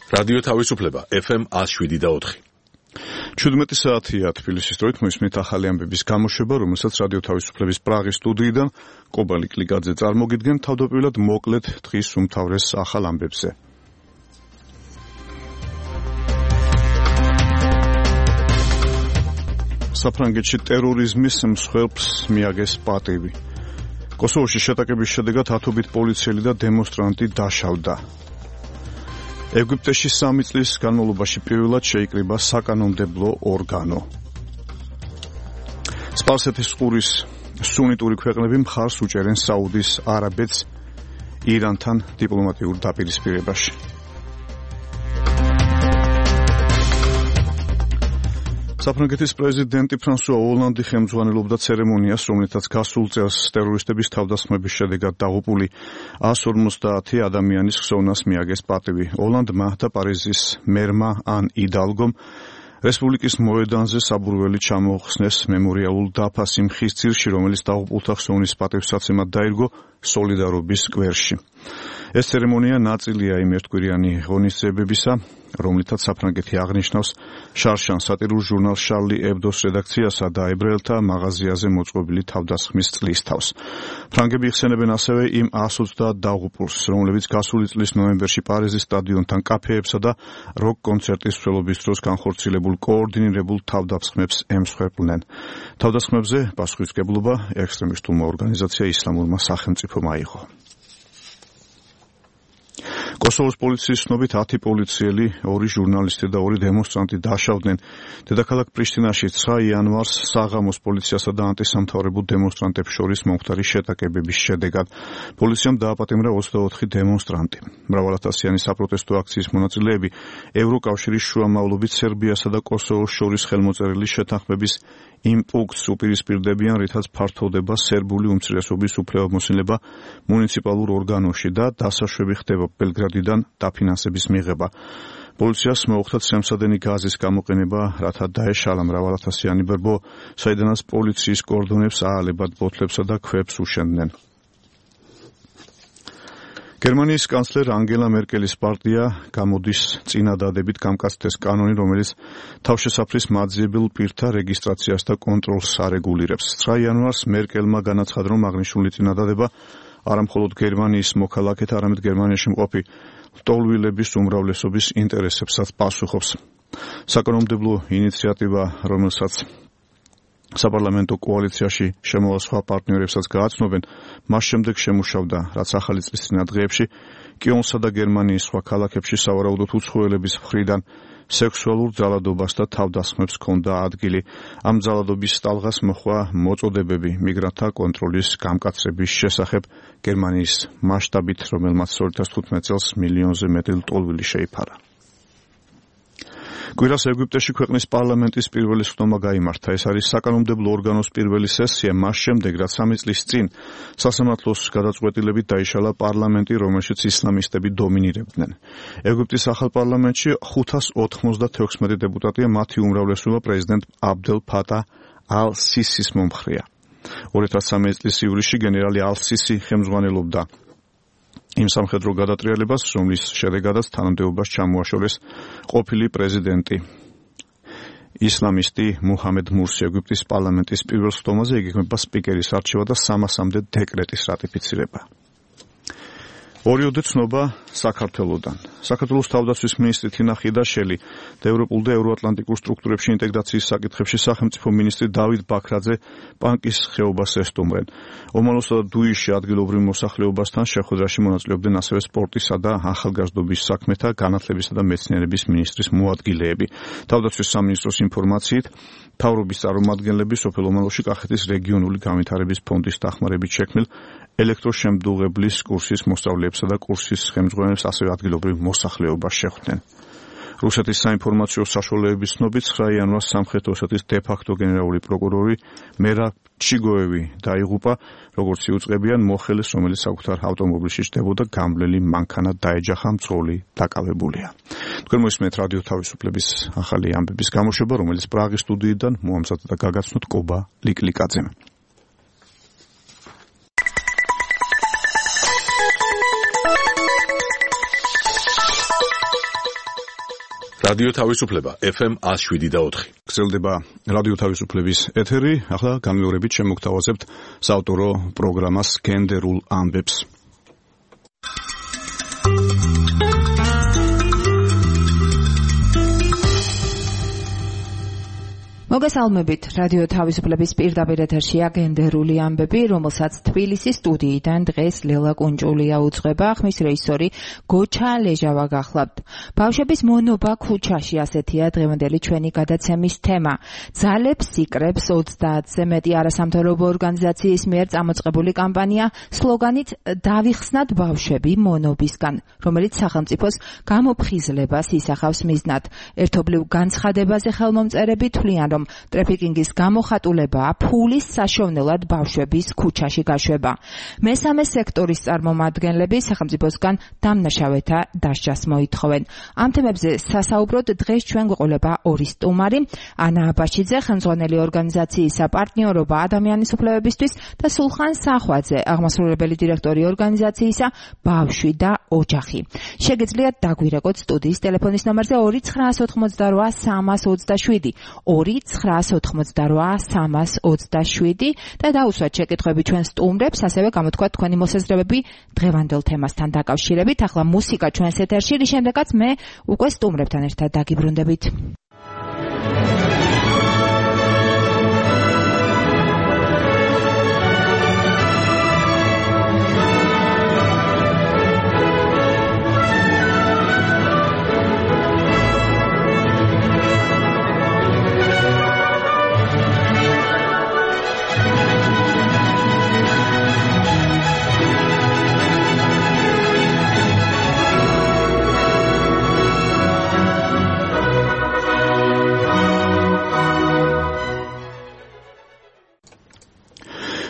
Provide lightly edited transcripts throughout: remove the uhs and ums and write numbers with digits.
რადიო თავისუფლება FM 107.4. 17 საათია თბილისის დროით მოისმენთ ახალი ამბების გამოშვება, რომელსაც რადიო თავისუფლების პრაღის სტუდიიდან კობა ლიკლიკაძე წარმოგიდგენ. თავდაპირველად მოკლედ დღის უმთავრეს ახალ ამბებზე. საფრანგეთში ტერორიზმის მსხვერპლს მიაგეს პატივი. კოსოვოში შეტაკების შედეგად ათობით პოლიციელი და დემონსტრანტი დაშავდა. ეგვიპტეში 3 წლის განმავლობაში პირველად შეიკრიბა საკანონმდებლო ორგანო. სპარსეთის ყურის სუნიტური ქვეყნები მხარს უჭერენ საუდის არაბეთს ირანთან დიპლომატიურ დაპირისპირებაში. საფრანგეთის პრეზიდენტი ფრანსუა ოლანდი ხელმძღვანელობდა ცერემონიას, რომელთაც გასულ წელს ტერორისტების თავდასხმების შედეგად დაღუპული 150 ადამიანის ხსოვნას მიაგეს პატივი. ოლანდმა და პარიზის მერმა ან იდალგომ რესპუბლიკის მოედანზე საბურველი ჩამოხსნეს მემორიალურ დაფას იმ ხის ძირში, რომელიც დაღუპულთა ხსოვნის პატივსაცემად დაირგო სოლიდარობის სკვერში. ეს ცერემონია ნაწილია იმ ერთკვირიანი ღონისძიებებისა, რომლითაც საფრანგეთი აღნიშნავს შარშან სატირულ ჟურნალ შარლი ებდოს რედაქციასა და ებრაელთა მაღაზიაზე მოწყობილი თავდასხმის წლისთავს. ფრანგები იხსენებენ ასევე იმ 120 დაღუპულს, რომლებიც გასული წლის ნოემბერში პარიზის სტადიონთან კაფეებსა და როკ კონცერტის მსვლელობის დროს განხორციელებულ კოორდინირებულ თავდასხმებს ემსხვერპლნენ. თავდასხმებზე პასუხისმგებლობა ექსტრემისტულმა ორგანიზაცია ისლამურმა სახელმწიფომ აიღო. კოსოვოს პოლიციის ცნობით 10 პოლიციელი, 2 ჟურნალისტი და 2 დემონსტრანტი დაშავდნენ. დედაქალაქ პრიშტინაში 9 იანვარს საღამოს პოლიციასა და ანტისამთავრებულ დემონსტრანტებს შორის მომხდარი შეტაკებების შედეგად. პოლიციამ დააპატიმრა 24 დემონსტრანტი. მრავალათასიანი საპროტესტო აქციის მონაწილეები ევროკავშირის შუამავლობით სერბიასა და კოსოვოს შორის ხელმოწერილი შეთანხმების იმ პუნქტს უპირისპირდებიან, რითაც ფართოვდება სერბული უმცირესობის უფლებამოსილება მუნიციპალურ ორგანოში და დასაშვები ხდება ბელგრადიდან დაფინანსების მიღება. პოლიციას მოუხდა ცემსადენი გაზის გამოყენება, რათა დაეშალა მრავალათასიანი ბრბო, საიდანაც პოლიციის კორდონებს აალებად ბოთლებსა და ქვებს უშენდნენ. გერმანიის კანცლერ ანგელა მერკელის პარტია გამოდის წინადადებით გამკაცდეს კანონი, რომელიც თავშესაფრის მაძიებელ პირთა რეგისტრაციას და კონტროლს არეგულირებს. 9 იანვარს მერკელმა განაცხადა, რომ აღნიშნული წინადადება არა მხოლოდ გერმანიის მოქალაქეთა, არამედ გერმანიაში მყოფი ლტოლვილების უმრავლესობის ინტერესებსაც პასუხობს. საკანონმდებლო ინიციატივა, რომელსაც საპარლამენტო კოალიციაში შემოვალ სხვა პარტნიორებსაც გააცნობენ, მას შემდეგ შემუშავდა, რაც ახალი წლის წინა დღეებში კიონსა და გერმანიის სხვა ქალაქებში სავარაუდოდ უცხოელების მხრიდან სექსუალურ ძალადობას და თავდასხმებს ჰქონდა ადგილი. ამ ძალადობის ტალღას მოჰყვა მოწოდებები მიგრანტთა კონტროლის გამკაცრების შესახებ გერმანიის მასშტაბით, რომელმაც 2015 წელს მილიონზე მეტი ლტოლვილი შეიფარა. კვირას ეგვიპტეში ქვეყნის პარლამენტის პირველი სხდომა გაიმართა. ეს არის საკანონმდებლო ორგანოს პირველი სესია მას შემდეგ, რაც 3 წლის წინ სასამართლოს გადაწყვეტილებით დაიშალა პარლამენტი, რომელშიც ისლამისტები დომინირებდნენ. ეგვიპტის ახალ პარლამენტში 596 დეპუტატია, მათი უმრავლესობა პრეზიდენტ აბდელ ფატა ალ-სისის მომხრეა. 2013 წლის ივლისში გენერალი ალ-სისი ხელმძღვანელობდა იმ სამხედრო გადატრიალებას, რომლის შედეგადაც თანამდებობას ჩამოაშორეს ყოფილი პრეზიდენტი ისლამისტი მუჰამედ მურსი. ეგვიპტის პარლამენტის პირველ სხდომაზე იგეგმება სპიკერის არჩევა და 300-მდე დეკრეტის რატიფიცირება. ორიოდე ცნობა საქართველოდან. საქართველოს თავდაცვის მინისტრი თინა ხიდაშელი და ევროპულ და ევროატლანტიკურ სტრუქტურებში ინტეგრაციის საკითხებში სახელმწიფო მინისტრი დავით ბაქრაძე პანკის ხეობას ესტუმრენ. ომანოსა და დუიშში ადგილობრივ მოსახლეობასთან შეხვედრაში მონაწილეობდნენ ასევე სპორტისა და ახალგაზრდობის საქმეთა, განათლებისა და მეცნიერების მინისტრის მოადგილეები. თავდაცვის სამინისტროს ინფორმაციით, მთავრობის წარმომადგენლები სოფელ ომანოში კახეთის რეგიონული განვითარების ფონდის დახმარებით შექმნილ ელექტროშემდუღებლის კურსის მოსწავლეებსა და კურსის ხელმძღვანელებს ასევე ადგილობრივ მოსახლეობას შეხვდნენ. რუსეთის საინფორმაციო საშუალებების ცნობით 9 იანვარს სამხრეთ ოსეთის დე-ფაქტო გენერალური პროკურორი მერა ჩიგოევი დაიღუპა, როგორც იუწყებიან მოხელეს, რომელიც საკუთარ ავტომობილში ჯდებოდა, გამვლელი მანქანა დაეჯახა, მძღოლი დაკავებულია. თქვენ მოისმენთ რადიო თავისუფლების ახალი ამბების გამოშვება, რომელიც პრაღის სტუდიიდან მოამზადდა და გაგაცნოთ კობა ლიკლიკაძემ. რადიო თავისუფლება FM 107.4. გრძელდება რადიო თავისუფლების ეთერი. ახლა განმეორებით შემოგთავაზებთ საავტორო პროგრამას გენდერულ ამბებს. მოგესალმებით, რადიო თავისუფლების პირდაპირ ეთერშია გენდერული ამბები, რომელსაც თბილისის სტუდიიდან დღეს ლელა კუნჭულია უძღვება, ხმის რეჟისორი გოჩა ლეჟავა გახლავთ. ბავშვების მონობა ქუჩაში, ასეთია დღევანდელი ჩვენი გადაცემის თემა. ძალებს სიკრებს 30-ზე მეტი არასამთავრობო ორგანიზაციის მიერ წამოწყებული კამპანია სლოგანით „დავიხსნათ ბავშვები მონობისგან“, რომელიც სახელმწიფოს გამოფხიზლებას ისახავს მიზნად. ერთობლივ განცხადებაზე ხელმომწერები თვლიან, რომ ტრაფიკინგის გამოხატულებაა ფულის საშოვნელად ბავშვების ქუჩაში გაშვება. მესამე სექტორის წარმომადგენლები სახელმწიფოსგან დამნაშავეთა დასჯას მოითხოვენ. ამ თემებზე სასაუბროდ დღეს ჩვენ გვეყოლება ორი სტუმარი, ანა აბაშიძე, ხელმძღვანელი ორგანიზაციისა პარტნიორობა ადამიანის უფლებებისთვის და სულხან სახვაძე, აღმასრულებელი დირექტორი ორგანიზაციისა ბავშვი და ოჯახი. შეგიძლიათ დაგვირეკოთ სტუდიის ტელეფონის ნომერზე 2-988-327 2-988-327 და დაუსვათ შეკითხვები ჩვენ სტუმრებს, ასევე გამოთქვათ თქვენი მოსაზრებები დღევანდელ თემასთან დაკავშირებით. ახლა მუსიკა ჩვენს ეთერში, რის შემდეგაც მე უკვე სტუმრებთან ერთად დაგიბრუნდებით.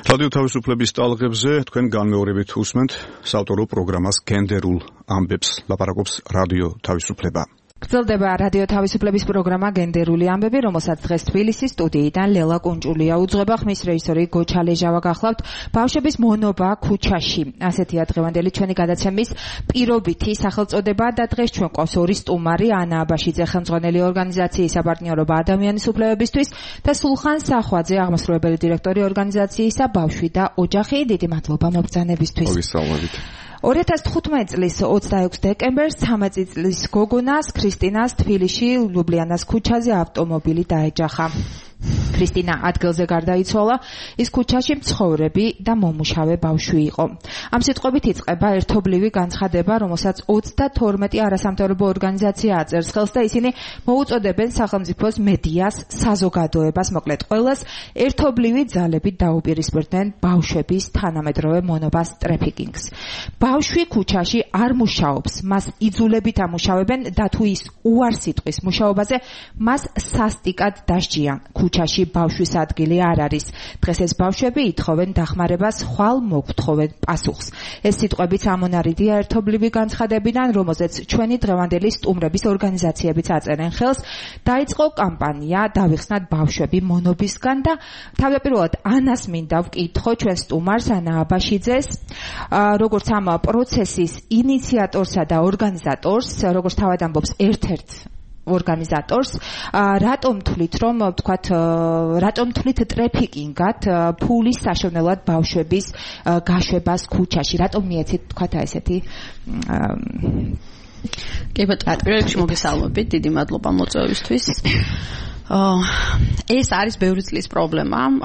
რადიო თავისუფლების ტალღებზე თქვენ განმეორებით უსმენთ საავტორო პროგრამას გენდერულ ამბებს. ლაპარაკობს რადიო თავისუფლება. გრძელდება რადიო თავისუფლების პროგრამა გენდერული ამბები, რომელსაც დღეს თბილისის სტუდიიდან ლელა კუნჭულია უძღვება, ხმის რეჟისორი გოჩა ლეჟავა გახლავთ. ბავშვების მონობა ქუჩაში, ასეთია დღევანდელი ჩვენი გადაცემის პირობითი სახელწოდება და დღეს ჩვენ ყავს ორი სტუმარი, ანა აბაშიძე, ხელმძღვანელი ორგანიზაციისა პარტნიორობა ადამიანის უფლებებისთვის და სულხან სახვაძე, აღმასრულებელი დირექტორი ორგანიზაციისა ბავშვი და ოჯახი. დიდი მადლობა მოგზაურობისთვის. მოგესალმებით. 2015 წლის 26 დეკემბერს 13 წლის გოგონას ქრისტინას თბილისში ლუბლიანას ქუჩაზე ავტომობილი დაეჯახა. ქრისტინა ადგილზე გარდაიცვალა, ის ქუჩაში მცხოვრები და მომუშავე ბავშვი იყო. ამ სიტყვებით იწყება ერთობლივი განცხადება, რომელსაც 32 არასამთავრობო ორგანიზაცია აწერს ხელს და ისინი მოუწოდებენ სახელმწიფოს მედიას, საზოგადოებას, მოკლედ ყველას ერთობლივი ძალებით დაუპირისპირდნენ ბავშვების თანამედროვე მონობას ტრაფიკინგს. ბავშვი ქუჩაში არ მუშაობს, მას იძულებით ამუშავებენ და თუ ის უარს იტყვის მუშაობაზე, მას სასტიკად დასჯიან. ქუჩაში ბავშვის ადგილი არ არის. დღეს ეს ბავშვები ითხოვენ დახმარებას, ხვალ მოგთხოვენ პასუხს. ეს სიტყვებიც ამონარიდია ერთობლივი განცხადებიდან, რომელზეც ჩვენი დღევანდელი სტუმრების ორგანიზაციებიც აწერენ ხელს. დაიწყო კამპანია „დავიხსნათ ბავშვები მონობისგან“ და თავდაპირველად ანას მინდა ვკითხო ჩვენ სტუმარს, ანა აბაშიძეს, როგორც ამ პროცესის ინიციატორსა და ორგანიზატორს, როგორც თავად ამბობს ერთ-ერთ ორგანიზატორს, რატომ თვლით ტრაფიკინგად ფულის საშოვნელად ბავშვების გაშვებას ქუჩაში, რატომ მიეცით თქვათ ესეთი კი ბატონო, პირველში მოგესალმებით, დიდი მადლობა მოწვევისთვის. ეს არის ბევრი წლის პრობლემა,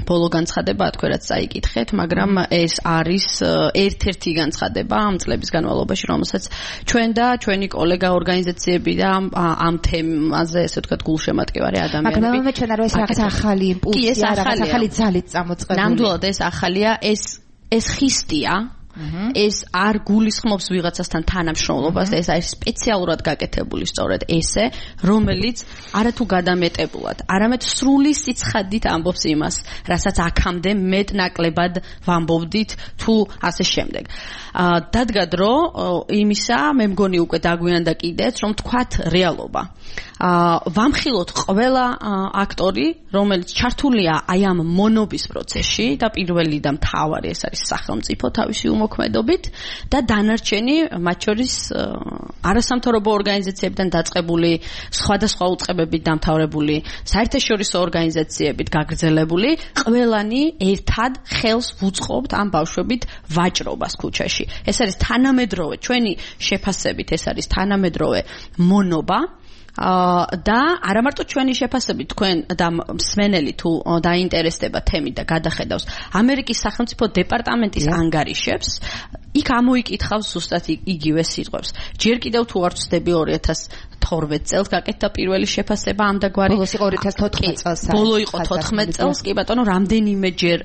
ბოლო განცხადება თქვენ რაც წაიკითხეთ, მაგრამ ეს არის ერთ-ერთი განცხადება ამ წლების განმავლობაში, რომელსაც ჩვენ და ჩვენი კოლეგა ორგანიზაციები და ამ თემაზე, ესე ვთქვათ, გულშემატკივარი ადამიანები. მაგრამ მე ჩვენ არ ეს რაღაც ახალი იმპულსია, რაღაც ახალი ძალით წამოწყებული. ნამდვილად ეს ახალია, ეს ხისტია. ეს არ გულისხმობს ვიღაცასთან თანამშრომლობას, ეს არის სპეციალურად გაკეთებული სწორედ ესე, რომელიც არათუ გადამეტებულად, არამედ სრული სიცხადით ამბობს იმას, რასაც აქამდე მეტნაკლებად ვამბობდით თუ ასე შემდეგ. დადგა დრო იმისა, მე მგონი უკვე დაგვიანდა კიდეც, რომ თქვათ რეალობა. ვამხილოთ ყველა აქტორი, რომელიც ჩართულია აი ამ მონობის პროცესში და პირველი და მთავარი ეს არის სახელმწიფო თავისი მოქმედობით და დანარჩენი მათ შორის არასამთავრობო ორგანიზაციებიდან დაწყებული, სხვადასხვა უწყებებით დამთავრებული, საერთაშორისო ორგანიზაციებით გაგრძელებული, ყველანი ერთად ხელს ვუწყობთ ამ ბავშვებით ვაჭრობას ქუჩაში. ეს არის თანამედროვე ჩვენი შეფასებით, ეს არის თანამედროვე მონობა და არა მარტო ჩვენი შეფასებით, თქვენ და მსმენელი თუ დაინტერესდება თემით და გადახედავს ამერიკის სახელმწიფო დეპარტამენტის ანგარიშებს, იქ ამოიკითხავს ზუსტად იგივე სიტყვებს. ჯერ კიდევ თუ არ ვცდები 2012 წელს გაკეთდა პირველი შეფასება ამ დაგვარი. ბოლოს იყო 2014 წელს. ბოლო იყო 14 წელს, კი ბატონო, რამდენიმე ჯერ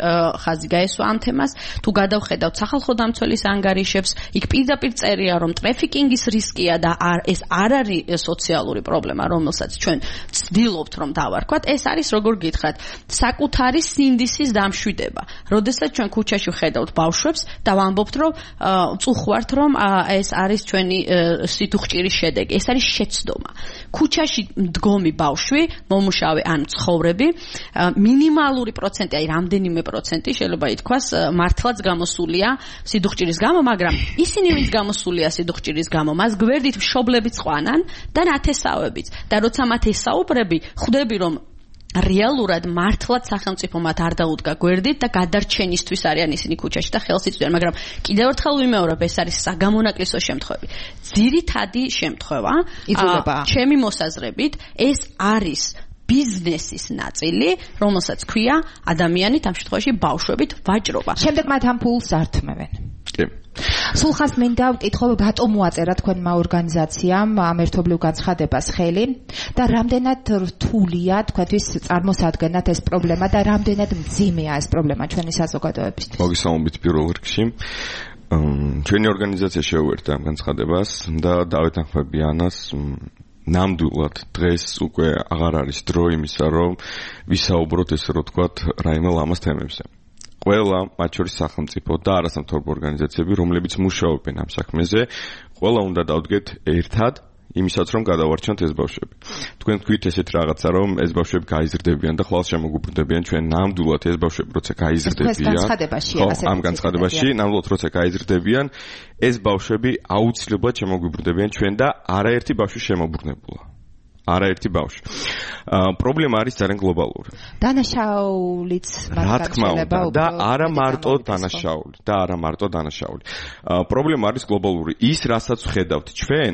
ხაზი გაესვა ამ თემას. თუ გადავხედავთ სახალხო დამცველის ანგარიშებს, იქ პირდაპირ წერია, რომ ტრაფიკინგის რისკია და ეს არ არის სოციალური პრობლემა, რომელსაც ჩვენ ვცდილობთ რომ დავარქვათ. ეს არის, როგორ გითხრათ, საკუთარი სინდისის დამშვიდება. როდესაც ჩვენ ქუჩაში ვხედავთ ბავშვებს და ვამბობთ, რომ წუხვართ, რომ ეს არის ჩვენი სიტუხჭირის შედეგი. ეს არის შეცდომა. ქუჩაში მდგომი ბავშვი, მომუშავე ან მცხოვრები, მინიმალური პროცენტი, აი რამდენიმე პროცენტი შეიძლება ითქვას, მართლაც გამოსულია სიდუხჭირის გამო, მაგრამ ისინი ვინც გამოსულია სიდუხჭირის გამო, მას გვერდით მშობლებიც ყვანან და ნათესავებიც. და როცა მათ ესაუბრები, ხვდები რომ რეალურად მართლაც სახელმწიფო მათ არ დაუდგა გვერდით და გადარჩენისთვის არიან ისინი ქუჩაში და ხელს იწვიან, მაგრამ კიდევ ერთხელ ვიმეორებ, ეს არის საგამონაკლისო შემთხვევები. ძირითადი შემთხვევა, ჩემი მოსაზრებით, ეს არის ბიზნესის ნაწილი, რომელსაც ქვია ადამიანით ამ შემთხვევაში ბავშვებით ვაჭრობა. შემდეგ მათ ამ ფულს ართმევენ. კი. სულ ხას მინდა ვკითხო, რატომ მოაწერა თქვენმა ორგანიზაციამ ამ ერთობლივ განცხადებას ხელი და რამდენად რთულია თქვენთვის წარმოსადგენათ ეს პრობლემა და რამდენად მძიმეა ეს პრობლემა ჩვენი საზოგადოებისთვის. მოგესალმებით პირველ რიგში. ჩვენი ორგანიზაცია შეუერთდა ამ განცხადებას და დავით ახმებიანას ნამდვილად დღეს უკვე აღარ არის დრო იმისა, რომ ვისაუბროთ ესე რომ ვთქვათ რაიმე ლამაზ თემებზე. ყველა, მათ შორის სახელმწიფო და არასამთავრობო ორგანიზაციები, რომლებიც მუშაობენ ამ საქმეზე, ყველა უნდა დავდგეთ ერთად იმისაც, რომ გადავარჩენთ ეს ბავშვები. თქვენ თქვით ესეთ რაღაცა, რომ ეს ბავშვები გაიზრდებიან და ხვალ შემოგუბრდებიან, ჩვენ ნამდვილად ეს ბავშვები როცა გაიზრდებიან, ამ განცხადებაში, ნამდვილად როცა გაიზრდებიან, ეს ბავშვები აუცილებლად შემოგუბრდებიან ჩვენ და არაერთი ბავშვი შემოbrუნებულა. არაერთი ბავშვი. პრობლემა არის ძალიან გლობალური. დანაშაულიც რა თქმა უნდა და არა მარტო დანაშაული. პრობლემა არის გლობალური. ის, რასაც ვხედავთ ჩვენ,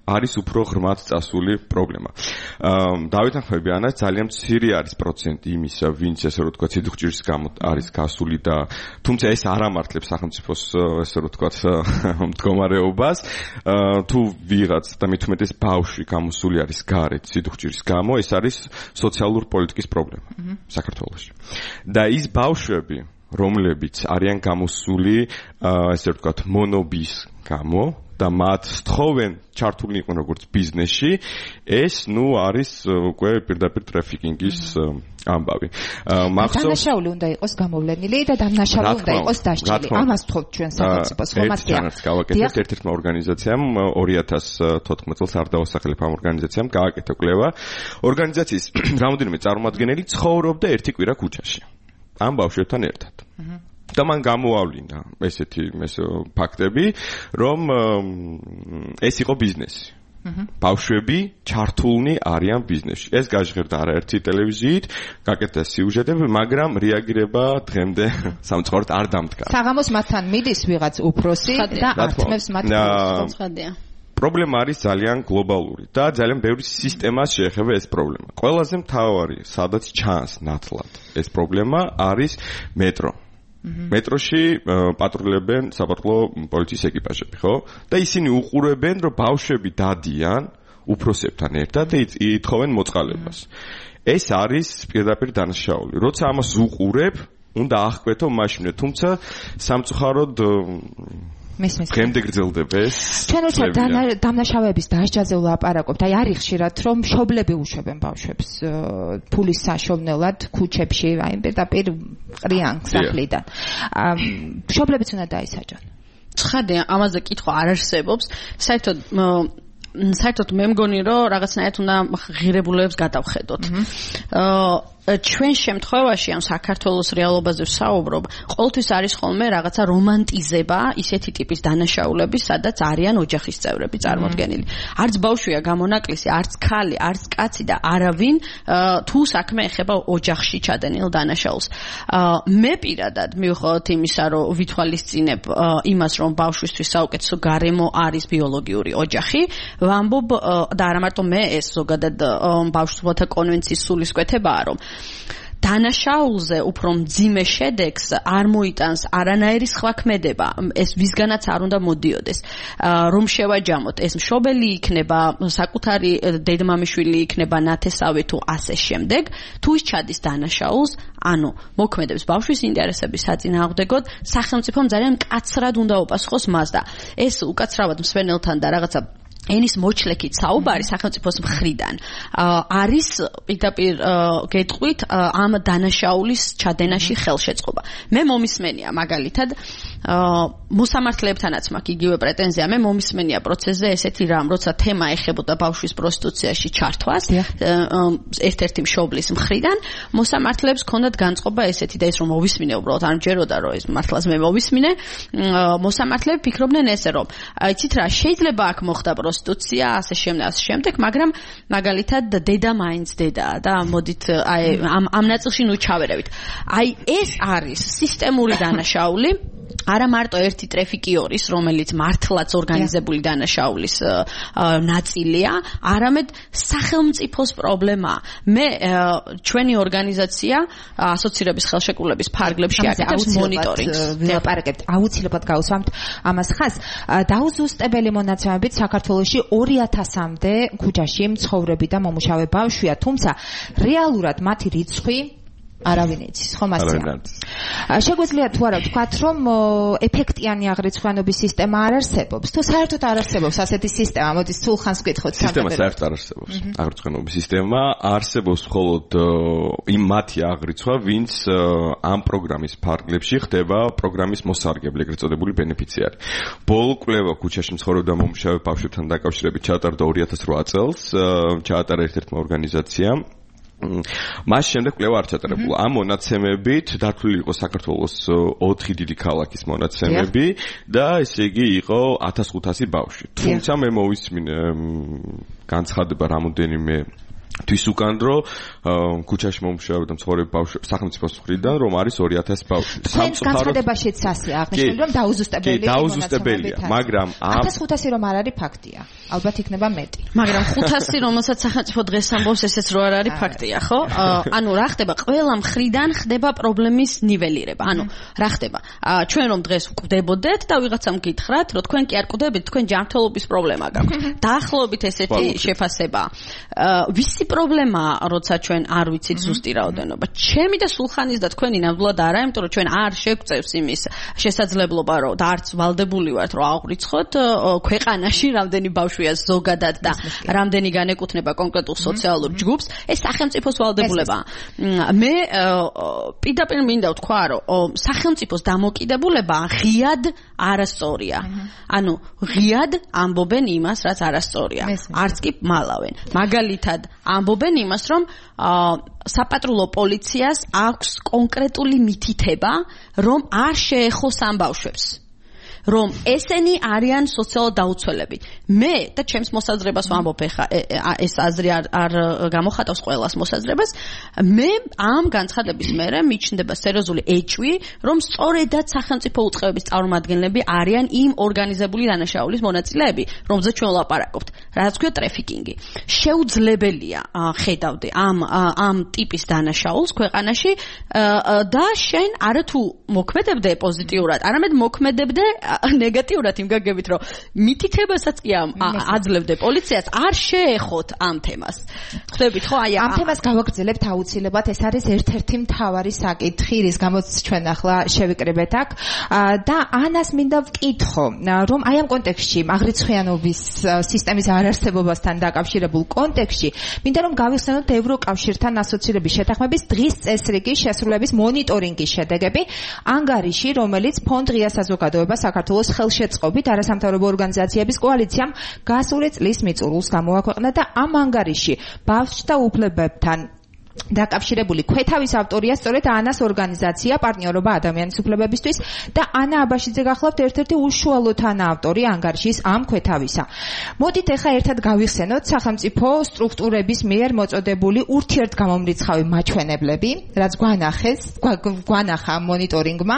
არის უფრო ღრმად წასული პრობლემა. დავით ახმებიანას ძალიან მცირე არის პროცენტი იმისა, ვინც ესე რომ ვთქვათ, სიდუხჭირის გამო არის გასული და თუმცა ეს არ ამართლებს სახელმწიფოს ესე რომ ვთქვათ მდგომარეობას. თუ ვიღაც და მით უმეტეს ბავშვი გამოსული არის გარეთ სიდუხჭირის გამო, ეს არის სოციალურ პოლიტიკის პრობლემა საქართველოში. და ის ბავშვები, რომლებიც არიან გამოსული ესე რომ ვთქვათ მონობის გამო და მათ სთხოვენ ჩართული იყვნენ როგორც ბიზნესში, ეს არის უკვე პირდაპირ ტრაფიკინგის ამბავი. დანაშაული უნდა იყოს გამოვლენილი და დანაშაული უნდა იყოს დასჯილი. ამას თხოვთ ჩვენ სახელმწიფოს, ხომ მართია? გავაკეთეთ ერთ-ერთმა ორგანიზაციამ 2014 წელს არ დავასახელებ ამ ორგანიზაციამ გააკეთა კვლევა. ორგანიზაციის რამოდენიმე წარმომადგენელი ცხოვრობდა ერთი კვირა ქუჩაში. ამ ბავშვებთან ერთად. და მან გამოავლინა ესეთი ფაქტები, რომ ეს იყო ბიზნესი. ბავშვები ჩართულნი არიან ბიზნესში. ეს გაჟღერდა არაერთი ტელევიზიით, გაკეთდა სიუჟეტები, მაგრამ რეაგირება დღემდე სამწუხაროდ არ დამდგა. საღამოს მათთან მიდის ვიღაც უფროსი და ართმევს მათ ხადია. პრობლემა არის ძალიან გლობალური და ძალიან ბევრი სისტემას შეეხება ეს პრობლემა. ყველაზე მთავარი, სადაც ჩანს ნათლად ეს პრობლემა არის მეტრო. მეტროში პატრულებენ საპატრულო პოლიციის ეკიპაჟები, ხო? და ისინი უყურებენ, რომ ბავშვები დადიან უფროსებთან ერთად და ითხოვენ მოწყალებას. ეს არის პირდაპირ დანაშაული. როცა ამას უყურებ, უნდა აღკვეთო მაშინვე, თუმცა სამწუხაროდ დღემდე გრძელდება ეს. ჩვენ უცებ დამნაშავეების დასჯაზე ვლაპარაკობთ. აი არის ხშირად რომ მშობლები უშვებენ ბავშვებს ფულის საშოვნელად ქუჩებში, აი პირდაპირ ყრიან სახლიდან. მშობლებიც უნდა დაისაჯონ. ცხადია, ამაზე კითხვა არ არსებობს. საერთოდ მე მგონი რომ რაღაცნაირად უნდა ღირებულებებს გადავხედოთ. ჩვენ შემთხვევაში ამ საქართველოს რეალობაზე ვსაუბრობ, ყოველთვის არის ხოლმე რაღაცა რომანტიზება ისეთი ტიპის დანაშაულების, სადაც არიან ოჯახის წევრები წარმოდგენილი. არც ბავშვია გამონაკლისი, არც ქალი, არც კაცი და არავინ თუ საქმე ეხება ოჯახში ჩადენილ დანაშაულს. მე პირადად მივხვდით იმისა, რომ ვითვალისწინებ იმას, რომ ბავშვისთვის საუკეთესო გარემო არის ბიოლოგიური ოჯახი, ვამბობ და არა მარტო მე, ეს ზოგადად ბავშვთა კონვენციის სულისკვეთებაა, რომ დანაშაულზე უფრო მძიმე შედეგს არ მოიტანს არანაირი სხვა ქმედება, ეს ვისგანაც არ უნდა მოდიოდეს. რომ შევაჯამოთ, ეს მშობელი იქნება, საკუთარი დედმამიშვილი იქნება, ნათესავი თუ ასე შემდეგ, თუ ის ჩადის დანაშაულს, ანუ მოქმედებს ბავშვის ინტერესების საწინააღმდეგოდ, სახელმწიფომ ძალიან მკაცრად უნდა უპასუხოს მას და ეს უკაცრავად მსვენელთან და რაღაცა ენის მოჩლექით საუბარი სახელმწიფოს მხრიდან არის პირდაპირ გეტყვით ამ დანაშაულის ჩადენაში ხელშეწყობა. მე მომისმენია მაგალითად მოსამართლეებთანაც მაქვს იგივე პრეტენზია, მე მომისმენია პროცესზე ესეთი რამ, როცა თემა ეხებოდა ბავშვის პროსტიტუციაში ჩართვას ერთ-ერთი მშობლის მხრიდან, მოსამართლეებს ჰქონდათ განწყობა ესეთი და ის რომ მოვისმინე უბრალოდ არ მჯეროდა რომ ეს მართლაც მე მოვისმინე, მოსამართლეები ფიქრობდნენ ესე რომ იცით რა, შეიძლება აქ მოხდა პროსტიტუცია, ასე შემდეგ, მაგრამ მაგალითად დედა მაინც დედაა და მოდით აი ამ ნაწილში ნუ ჩავერავით. აი ეს არის სისტემური დანაშაული, არა მარტო ერთი ტრეფიკიორის, რომელიც მართლაც ორგანიზებული დანაშაულის ნაწილია, არამედ სახელმწიფოს პრობლემაა. მე ჩვენი ორგანიზაცია ასოცირების ხელშეკრულების ფარგლებში აკეთებს მონიტორინგს. ვილაპარაკებთ, აუცილებლად გავუსვამთ ამას ხაზს. დაუზუსტებელი მონაცემებით საქართველოში 2000-მდე ქუჩაში მცხოვრები და მომუშავე ბავშვია, თუმცა რეალურად მათი რიცხვი არავინ იცის, ხო მასწია. შეგვიძლია თუ არა ვთქვათ, რომ ეფექტიანი აღრიცხვანობის სისტემა არ არსებობს. თუ საერთოდ არ არსებობს ასეთი სისტემა, მოდის სულ ხანს ვკითხოთ. სისტემა საერთოდ არ არსებობს. აღრიცხვანობის სისტემა არსებობს მხოლოდ იმ მათი აღრიცხვა, ვინც ამ პროგრამის ფარგლებში ხდება პროგრამის მოსარგებლე, ეგრეთ წოდებული ბენეფიციარი. ბოლო კვლევა ქუჩაში მცხოვრებ და მომუშავე ბავშვებთან დაკავშირებით ჩაატარდა 2008 წელს, ჩაატარა ერთ-ერთმა ორგანიზაციამ. მას შემდეგ კვლევა არ ჩატარებულა. ამ მონაცემებით დათვლილი იყო საქართველოს 4 დიდი ქალაქის მონაცემები და ესე იგი იყო 1500 ბავშვი. თუმცა მე მოვისმინე განცხადება რამოდენიმე თვის უკან რომ ქუჩაში მომუშავე და მცხოვრები ბავშვი სახელმწიფოს მხრიდან რომ არის 2000 ბავშვი. განცხადებაშიც ასე აღნიშნული რომ დაუზუსტებელია, მაგრამ 1500 რომ არ არის ფაქტია. ალბათ იქნება მეტი. მაგრამ 500 რომელსაც სახელმწიფო დღეს ამბობს, ესეც რო არ არის ფაქტია, ხო? ანუ რა ხდება? ყველა მხრიდან ხდება პრობლემის ნიველირება. ანუ რა ხდება? ჩვენ რომ დღეს ვკვდებოდეთ და ვიღაცამ გითხრათ, რომ თქვენ კი არ კვდებით, თქვენ ჯანმრთელობის პრობლემა გაქვთ. დაახლოებით ესეთი შეფასება. ვისი პრობლემაა, როცა ჩვენ არ ვიცით ზუსტი რაოდენობა. ჩემი და სულხანის და თქვენი ნამდვილად არა, იმიტომ რომ ჩვენ არ შეგვწევს იმის შესაძლებლობა, რომ და არც ვალდებული ვართ, რომ აღვრიცხოთ ქვეყანაში რამდენი ბავშვია ზოგადად და რამდენი განეკუთვნება კონკრეტულ სოციალურ ჯგუფს, ეს სახელმწიფოს ვალდებულებაა. მე პირდაპირ მინდა ვთქვა, რომ სახელმწიფოს დამოკიდებულება ღიად არასწორია. ანუ ღიად ამბობენ იმას, რაც არასწორია. არც კი მალავენ. მაგალითად ამბობენ იმას, რომ საპატრულო პოლიციას აქვს კონკრეტული მითითება, რომ არ შეეხოს ამ ბავშვებს. რომ ესენი არიან სოციალურად დაუცველები. მე და ჩემს მოსაზრებას ვამბობ, ეხა ეს აზრი არ გამოხატავს ყველას მოსაზრებას. მე ამ განცხადების მერე მიჩნდება სერიოზული ეჭვი, რომ სწორედად სახელმწიფო უწყებების წარმომადგენლები არიან იმ ორგანიზებული დანაშაულის მონაწილეები, რომზე ჩვენ ვლაპარაკობთ. რაც ქვია ტრეფიკინგი. შეუძლებელია ხედავდე ამ ტიპის დანაშაულს ქვეყანაში და შენ არათუ მოქმედებდე პოზიტიურად, არამედ მოქმედებდე ნეგატიურად იმ გაგებით, რომ მითითებასაც კი აძლევდე პოლიციას არ შეეხოთ ამ თემას. ხვდებით ხო? აი ამ თემას გავაგრძელებთ აუცილებლად, ეს არის ერთ-ერთი მთავარი საკითხი, რის გამოც ჩვენ ახლა შევიკრიბეთ აქ და ანას მინდა ვკითხო, რომ აი ამ კონტექსტში, აღრიცხვიანობის სისტემის არარსებობასთან დაკავშირებულ კონტექსტში, მინდა რომ გავიხსენოთ ევროკავშირთან ასოცირების შეთანხმების დღის წესრიგის შესრულების მონიტორინგის შედეგები ანგარიში, რომელიც ფონდ ღია საზოგადოება საქართველოს ხელშეწყობით არასამთავრობო ორგანიზაციების კოალიციამ გასული წლის მიწურულს გამოაქვეყნა და ამ ანგარიში ბავშვთა უფლებებთან დაკავშირებული ქვეთავის ავტორია სწორედ ანას ორგანიზაცია პარტნიორობა ადამიანის უფლებებისთვის და ანა აბაშიძე გახლავთ ერთ-ერთი უშუალო თანაავტორი ანგარიშის ამ ქვეთავისა. მოდით ახლა ერთად გავიხსენოთ სახელმწიფო სტრუქტურების მიერ მოწოდებული ურთიერთგამომრიცხავი მაჩვენებლები, რაც გვანახა მონიტორინგმა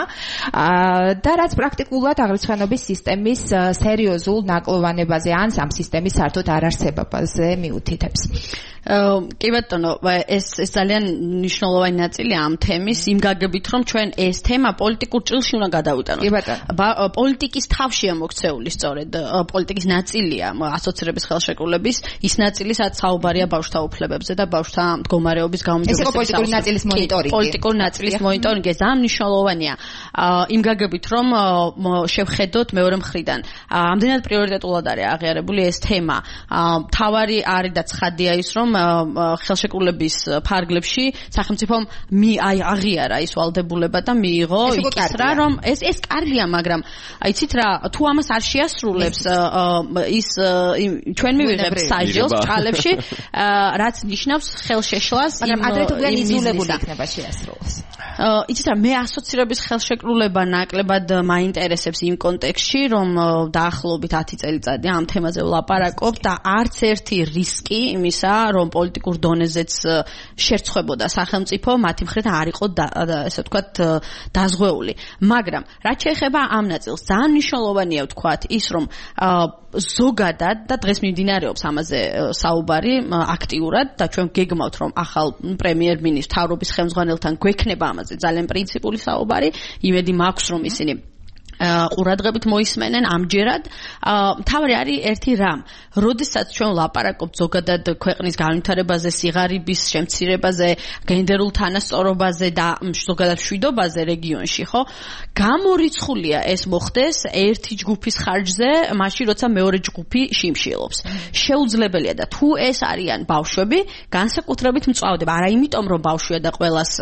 და რაც პრაქტიკულად აღრიცხვენობის სისტემის სერიოზულ ნაკლოვანებაზე ან ამ სისტემის საერთოდ არარსებობაზე მიუთითებს. კი ბატონო, ეს ძალიან მნიშვნელოვანი ნაწილია ამ თემის, იმ გაგებით, რომ ჩვენ ეს თემა პოლიტიკურ ჭრილში უნდა გადავიტანოთ. პოლიტიკის თავშია მოქცეული სწორედ, პოლიტიკის ნაწილია ასოცირების ხელშეკრულების, ის ნაწილი, სადაც საუბარია ბავშვთა უფლებებზე და ბავშვთა მდგომარეობის გაუმჯობესების. ეს პოლიტიკური ნაწილის მონიტორინგი. პოლიტიკური ნაწილის მონიტორინგი, ეს ძალიან მნიშვნელოვანია. იმ გაგებით, რომ შევხედოთ მეორე მხრიდან. ამდენად პრიორიტეტულად არის აღიარებული ეს თემა. თავარი არის და ცხადია ის, რომ ხელშეკრულების ფარგლებში სახელმწიფომ აღიარა ის ვალდებულება და მიიღო ის რა რომ ეს კარგია, მაგრამ იცით რა, თუ ამას არ შეასრულებს ის ჩვენ მივიღებთ საჯელს ჭალებში, რაც ნიშნავს ხელშეშლას იმ იზოლებული იქნება შეასრულოს. იცით რა, მე ასოცირების ხელშეკრულება ნაკლებად მაინტერესებს იმ კონტექსტში, რომ დაახლოებით 10 წელიწადი ამ თემაზე ვლაპარაკობ და არც ერთი რისკი იმისა, რომ პოლიტიკურ დონეზეც შერცხვებოდა სახელმწიფო, მათი მხრიდან არ იყო ესე ვთქვათ დაზღვეული. მაგრამ რაც შეეხება ამ ნაწილს, ძალიან მნიშვნელოვანია ვთქვათ ის, რომ ზოგადად და დღეს მიმდინარეობს ამაზე საუბარი აქტიურად და ჩვენ გეგმავთ, რომ ახალ პრემიერ-მინისტრ მთავრობის ხელმძღვანელთან გვექნება ამაზე ძალიან პრინციპული საუბარი. იმედი მაქვს, რომ ისინი ყურადღებით მოისმენენ ამჯერად. მთავარი არის ერთი რამ. როდესაც ჩვენ ვლაპარაკობთ ზოგადად ქვეყნის განვითარებაზე, სიღარიბის შემცირებაზე, გენდერულ თანასწორობაზე და ზოგადად მშვიდობაზე რეგიონში, ხო? გამორიცხულია ეს მოხდეს ერთი ჯგუფის ხარჯზე, მაშინ როცა მეორე ჯგუფი შიმშილობს. შეუძლებელია და თუ ეს არიან ბავშვები, განსაკუთრებით მწვავდება. არა იმიტომ, რომ ბავშვია და ყველას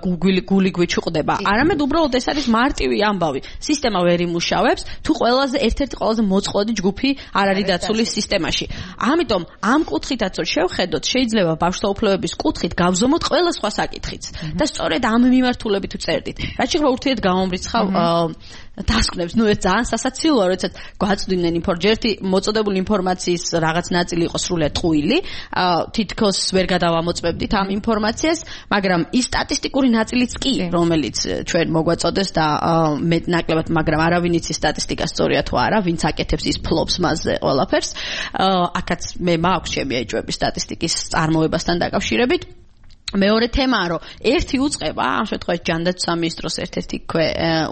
გული გვიჩუყდება, არამედ უბრალოდ ეს არის მარტივი ამბავი. სისტემა ვერ იმუშავებს, თუ ერთ-ერთი ყველაზე მოწყვლადი ჯგუფი არ არის დაცული სისტემაში. ამიტომ ამ კუთხითაც რომ შევხედოთ, შეიძლება ბავშვთა უფლებების კუთხით გავზომოთ ყველა სხვა საკითხიც. და სწორედ ამ მიმართულებით ვწერდით. რაც შეეხება ურთიერთგამომრიცხავ დასკვნებს, ეს ძალიან სასაცილოა, როდესაც გვაწვდიდნენ ერთი მოწოდებული ინფორმაციის რაღაც ნაწილი იყო სრულიად ტყუილი, თითქოს ვერ გადავამოწმებდით ამ ინფორმაციას, მაგრამ ის სტატისტიკური ნაწილიც კი, რომელიც ჩვენ მოგვაწოდეს და მე ნაკლებად, მაგრამ არავინ იცის სტატისტიკას სწორია თუ არა, ვინც აკეთებს ის ფლობს მასზე ყველაფერს. აქაც მე მაქვს ჩემი ეჭვები სტატისტიკის წარმოებასთან დაკავშირებით. მეორე თემაა, რომ ერთი უწყება, ამ შემთხვევაში ჯანდაცვის სამინისტროს ერთ-ერთი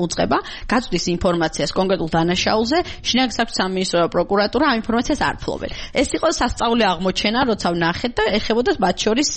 უწყება, გაწვდის ინფორმაციას კონკრეტულ დანაშაულზე, შინაგან საქმეთა სამინისტრო და პროკურატურა ამ ინფორმაციას არ ფლობენ. ეს იყო სასწაული აღმოჩენა, როცა ვნახეთ და ეხებოდა მათ შორის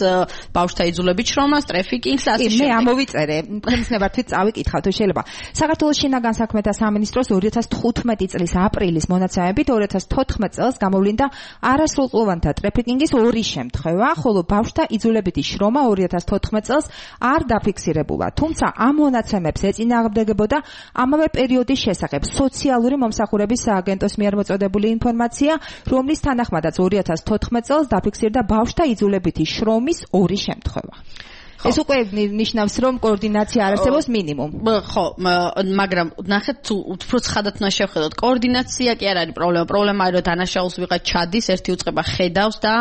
ბავშვთა იძულებით შრომას, ტრაფიკინგს და ასე შემდეგ. მე ამოვიწერე, ხმისნებართვით წავიკითხავთ, თუ შეიძლება. საქართველოს შინაგან საქმეთა სამინისტროს 2015 წლის აპრილის მონაცემებით 2014 წელს გამოვლინდა არასრულყლოვანთა ტრაფიკინგის 2 შემთხვევა, ხოლო ბავშვთა იძულებითი შრომა 2014 წელს არ დაფიქსირებულა. თუმცა ამ მონაცემებს ეწინააღმდეგებოდა ამავე პერიოდის შესახებ სოციალური მომსახურების სააგენტოს მიერ მოწოდებული ინფორმაცია, რომლის თანახმადაც 2014 წელს დაფიქსირდა ბავშვთა იძულებითი შრომის 2 შემთხვევა. ეს უკვე ნიშნავს, რომ კოორდინაცია არ არსებობს მინიმუმ. ხო, მაგრამ ნახეთ, თუ უფრო ცხადად უნდა შევხედოთ, კოორდინაცია კი არ არის პრობლემა. პრობლემა არის, რომ დანაშაულს ვიღაც ჩადის, ერთი უწყება ხედავს და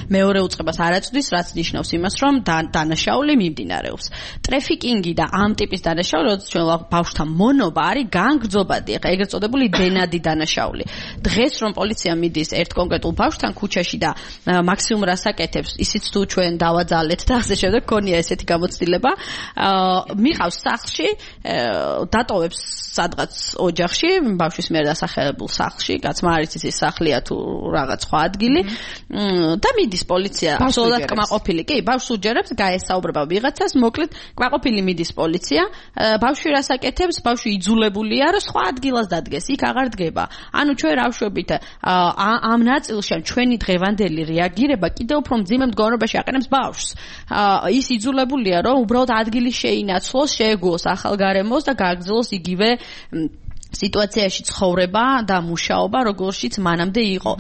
მეორე უწყებას არ აწვდის, რაც ნიშნავს იმას, რომ დანაშაული მიმდინარეობს. ტრაფიკინგი და ამ ტიპის დანაშაული, როდის ჩვენ ბავშვთა მონობა არის განგრძობადი, ეგრეთ წოდებული დენადი დანაშაული. დღეს რომ პოლიცია მიდის ერთ კონკრეტულ ბავშვთან ქუჩაში და მაქსიმუმ რას აკეთებს, ისიც თუ ჩვენ დავაძალეთ და ასე შემდეგ ესეთი გამოცდილება, მიყავს სახლში, დატოვებს სადღაც ოჯახში, ბავშვის მიერ დასახელებულ სახლში, კაცმა არ იცის ის სახლია თუ რაღაც სხვა ადგილი, და მიდის პოლიცია, absolut კმაყოფილი. კი, ბავშვს უჯერებს, გაესაუბრება ვიღაცას, მოკლედ კმაყოფილი მიდის პოლიცია, ბავშვი რას აკეთებს, ბავშვი იძულებულია, რომ სხვა ადგილას დადგეს, იქ აღარ დგება. ანუ ჩვენ რა ვშვებით, ამ ნაწილში ჩვენი დღევანდელი რეაგირება კიდევ უფრო მძიმე მდგომარეობაში აყენებს ბავშვს. ის იძულებულია, რომ უბრალოდ ადგილი შეინაცვლოს, შეეგუოს ახალ გარემოს და გააგრძელოს იგივე სიტუაციაში ცხოვრება და მუშაობა როგორშიც მანამდე იყო.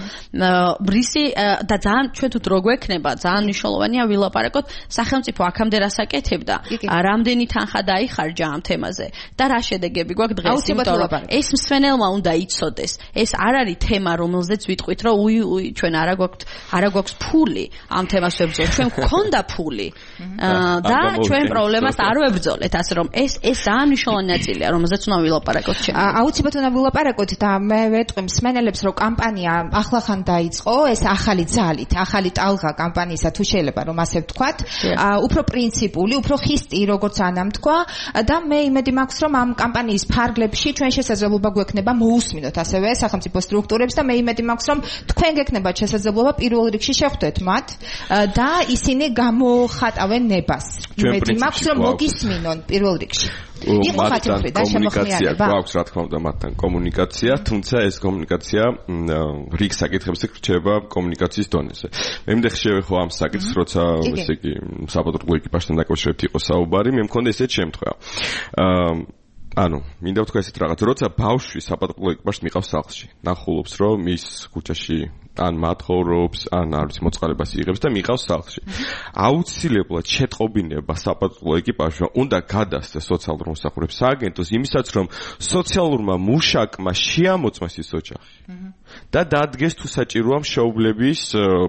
რისი და ძალიან ჩვენ თუ რო გვექნება, ძალიან მნიშვნელოვანია ვილაპარაკოთ სახელმწიფო აქამდე რას აკეთებდა, რამდენი თანხა დაიხარჯა ამ თემაზე და რა შედეგები გვაქვს დღეს, იმიტომ რომ ეს მსვენელმა უნდა იცოდეს. ეს არ არის თემა, რომელზეც ვიტყვით, რომ ჩვენ არა გვაქვს ფული ამ თემას ვებრძოლოთ. ჩვენ გვქონდა ფული და ჩვენ პრობლემას არ ვებრძოლეთ, ასე რომ ეს ძალიან მნიშვნელოვანი ნაწილია, რომელზეც უნდა ვილაპარაკოთ ჩვენ. აუცილებლად უნდა ვილაპარაკოთ და მე ვეტყვი მსმენელებს, რომ კამპანია ახლახან დაიწყო, ეს ახალი ძალით, ახალი ტალღა კამპანიისა, თუ შეიძლება რომ ასე ვთქვათ, უფრო პრინციპული, უფრო ხისტი, როგორც ანამ თქვა და მე იმედი მაქვს, რომ ამ კამპანიის ფარგლებში ჩვენ შესაძლებლობა გვექნება მოусმინოთ ასევე სახელმწიფო სტრუქტურებს და მე იმედი მაქვს, რომ თქვენ გექნებათ შესაძლებლობა პირველ რიგში შეხვდეთ მათ და ისინი გამოხატავენ ნებას. იმედი მაქვს, რომ მოგისმინონ პირველ რიგში. იყო ხათმფრი და შემოხმიანება. გვაქვს რა თქმა უნდა მათთან კომუნიკაცია, თუმცა ეს კომუნიკაცია რიგ საკითხებზე რჩება კომუნიკაციის დონეზე. მე მითხე შევეხო ამ საკითხს, როცა ესე იგი საპატრულო ეკიპაჟთან დაკავშირებით იყო საუბარი, მე მქონდა ესეთ შემთხვევა. ანუ მინდა ვთქვა ესეთ რაღაც, როცა ბავშვი საპატრულო ეკიპაჟს მიყავს სახლში, ნახულობს რომ ის ქუჩაში ან მათხოვრობს, ან არის მოწყალებას იღებს და მიყავს სახლში. აუცილებლად შეტყობინება საპატრულო ეკიპაჟმა უნდა გადასცეს სოციალურ მომსახურების სააგენტოს იმისაც, რომ სოციალურმა მუშაკმა შეამოწმეს ის ოჯახი. და დადგეს თუ საჭიროა მშობლების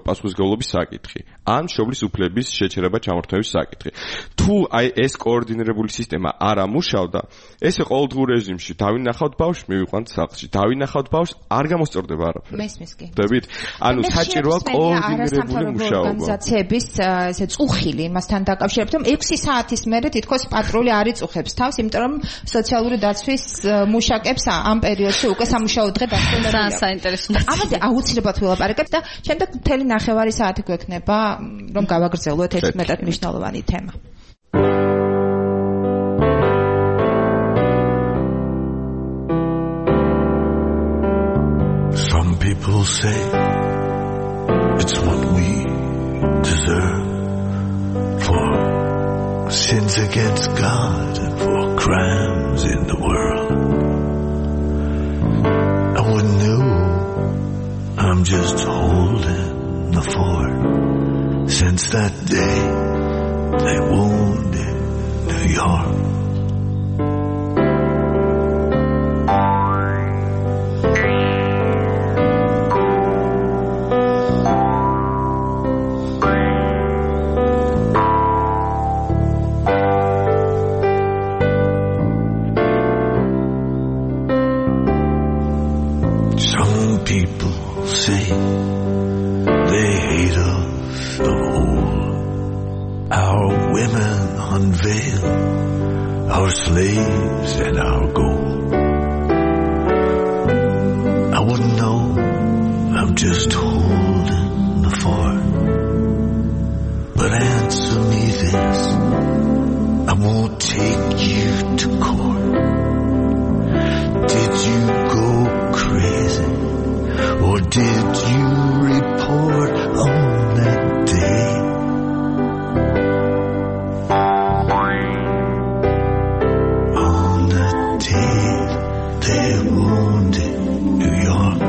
პასუხისმგებლობის საკითხი, ან მშობლის უფლების შეჩერება ჩამორთმევის საკითხი. თუ აი ეს კოორდინირებული სისტემა არ ამუშავდა, ესე ყოველდღიურ რეჟიმში დავინახავთ ბავშვს, მივიყვანთ სახლში. დავინახავთ ბავშვს, არ გამოსწორდება არაფერი. მესმის კი. დებით? ანუ საჭიროა კოორდინირებული მუშაობა. ორგანიზაციების ესე წუხილი იმასთან დაკავშირებით, რომ 6 საათის მერე თითქოს პატრული არ იწუხებს თავს, იმიტომ რომ სოციალური დაცვის მუშაკებს ამ პერიოდში უკვე სამუშაო დღე დასრულებულია. ამაზე აუცილებლად ვილაპარაკებთ და შემდეგ მთელი ნახევარი საათი გვექნება, რომ გავაგრძელოთ ეს მეტად მნიშვნელოვანი თემა. Some people say it's what we deserve for sins against God and for crimes in the world. I wouldn't know, I'm just holding the fort. Since that day they wounded New York. People say they hate us of old. Our women unveil our slaves and our gold. I wouldn't know, I'm just holding the fort. But answer me this, I won't take you to court. Did you go crazy? Or did you report on that day? On that day they wounded New York.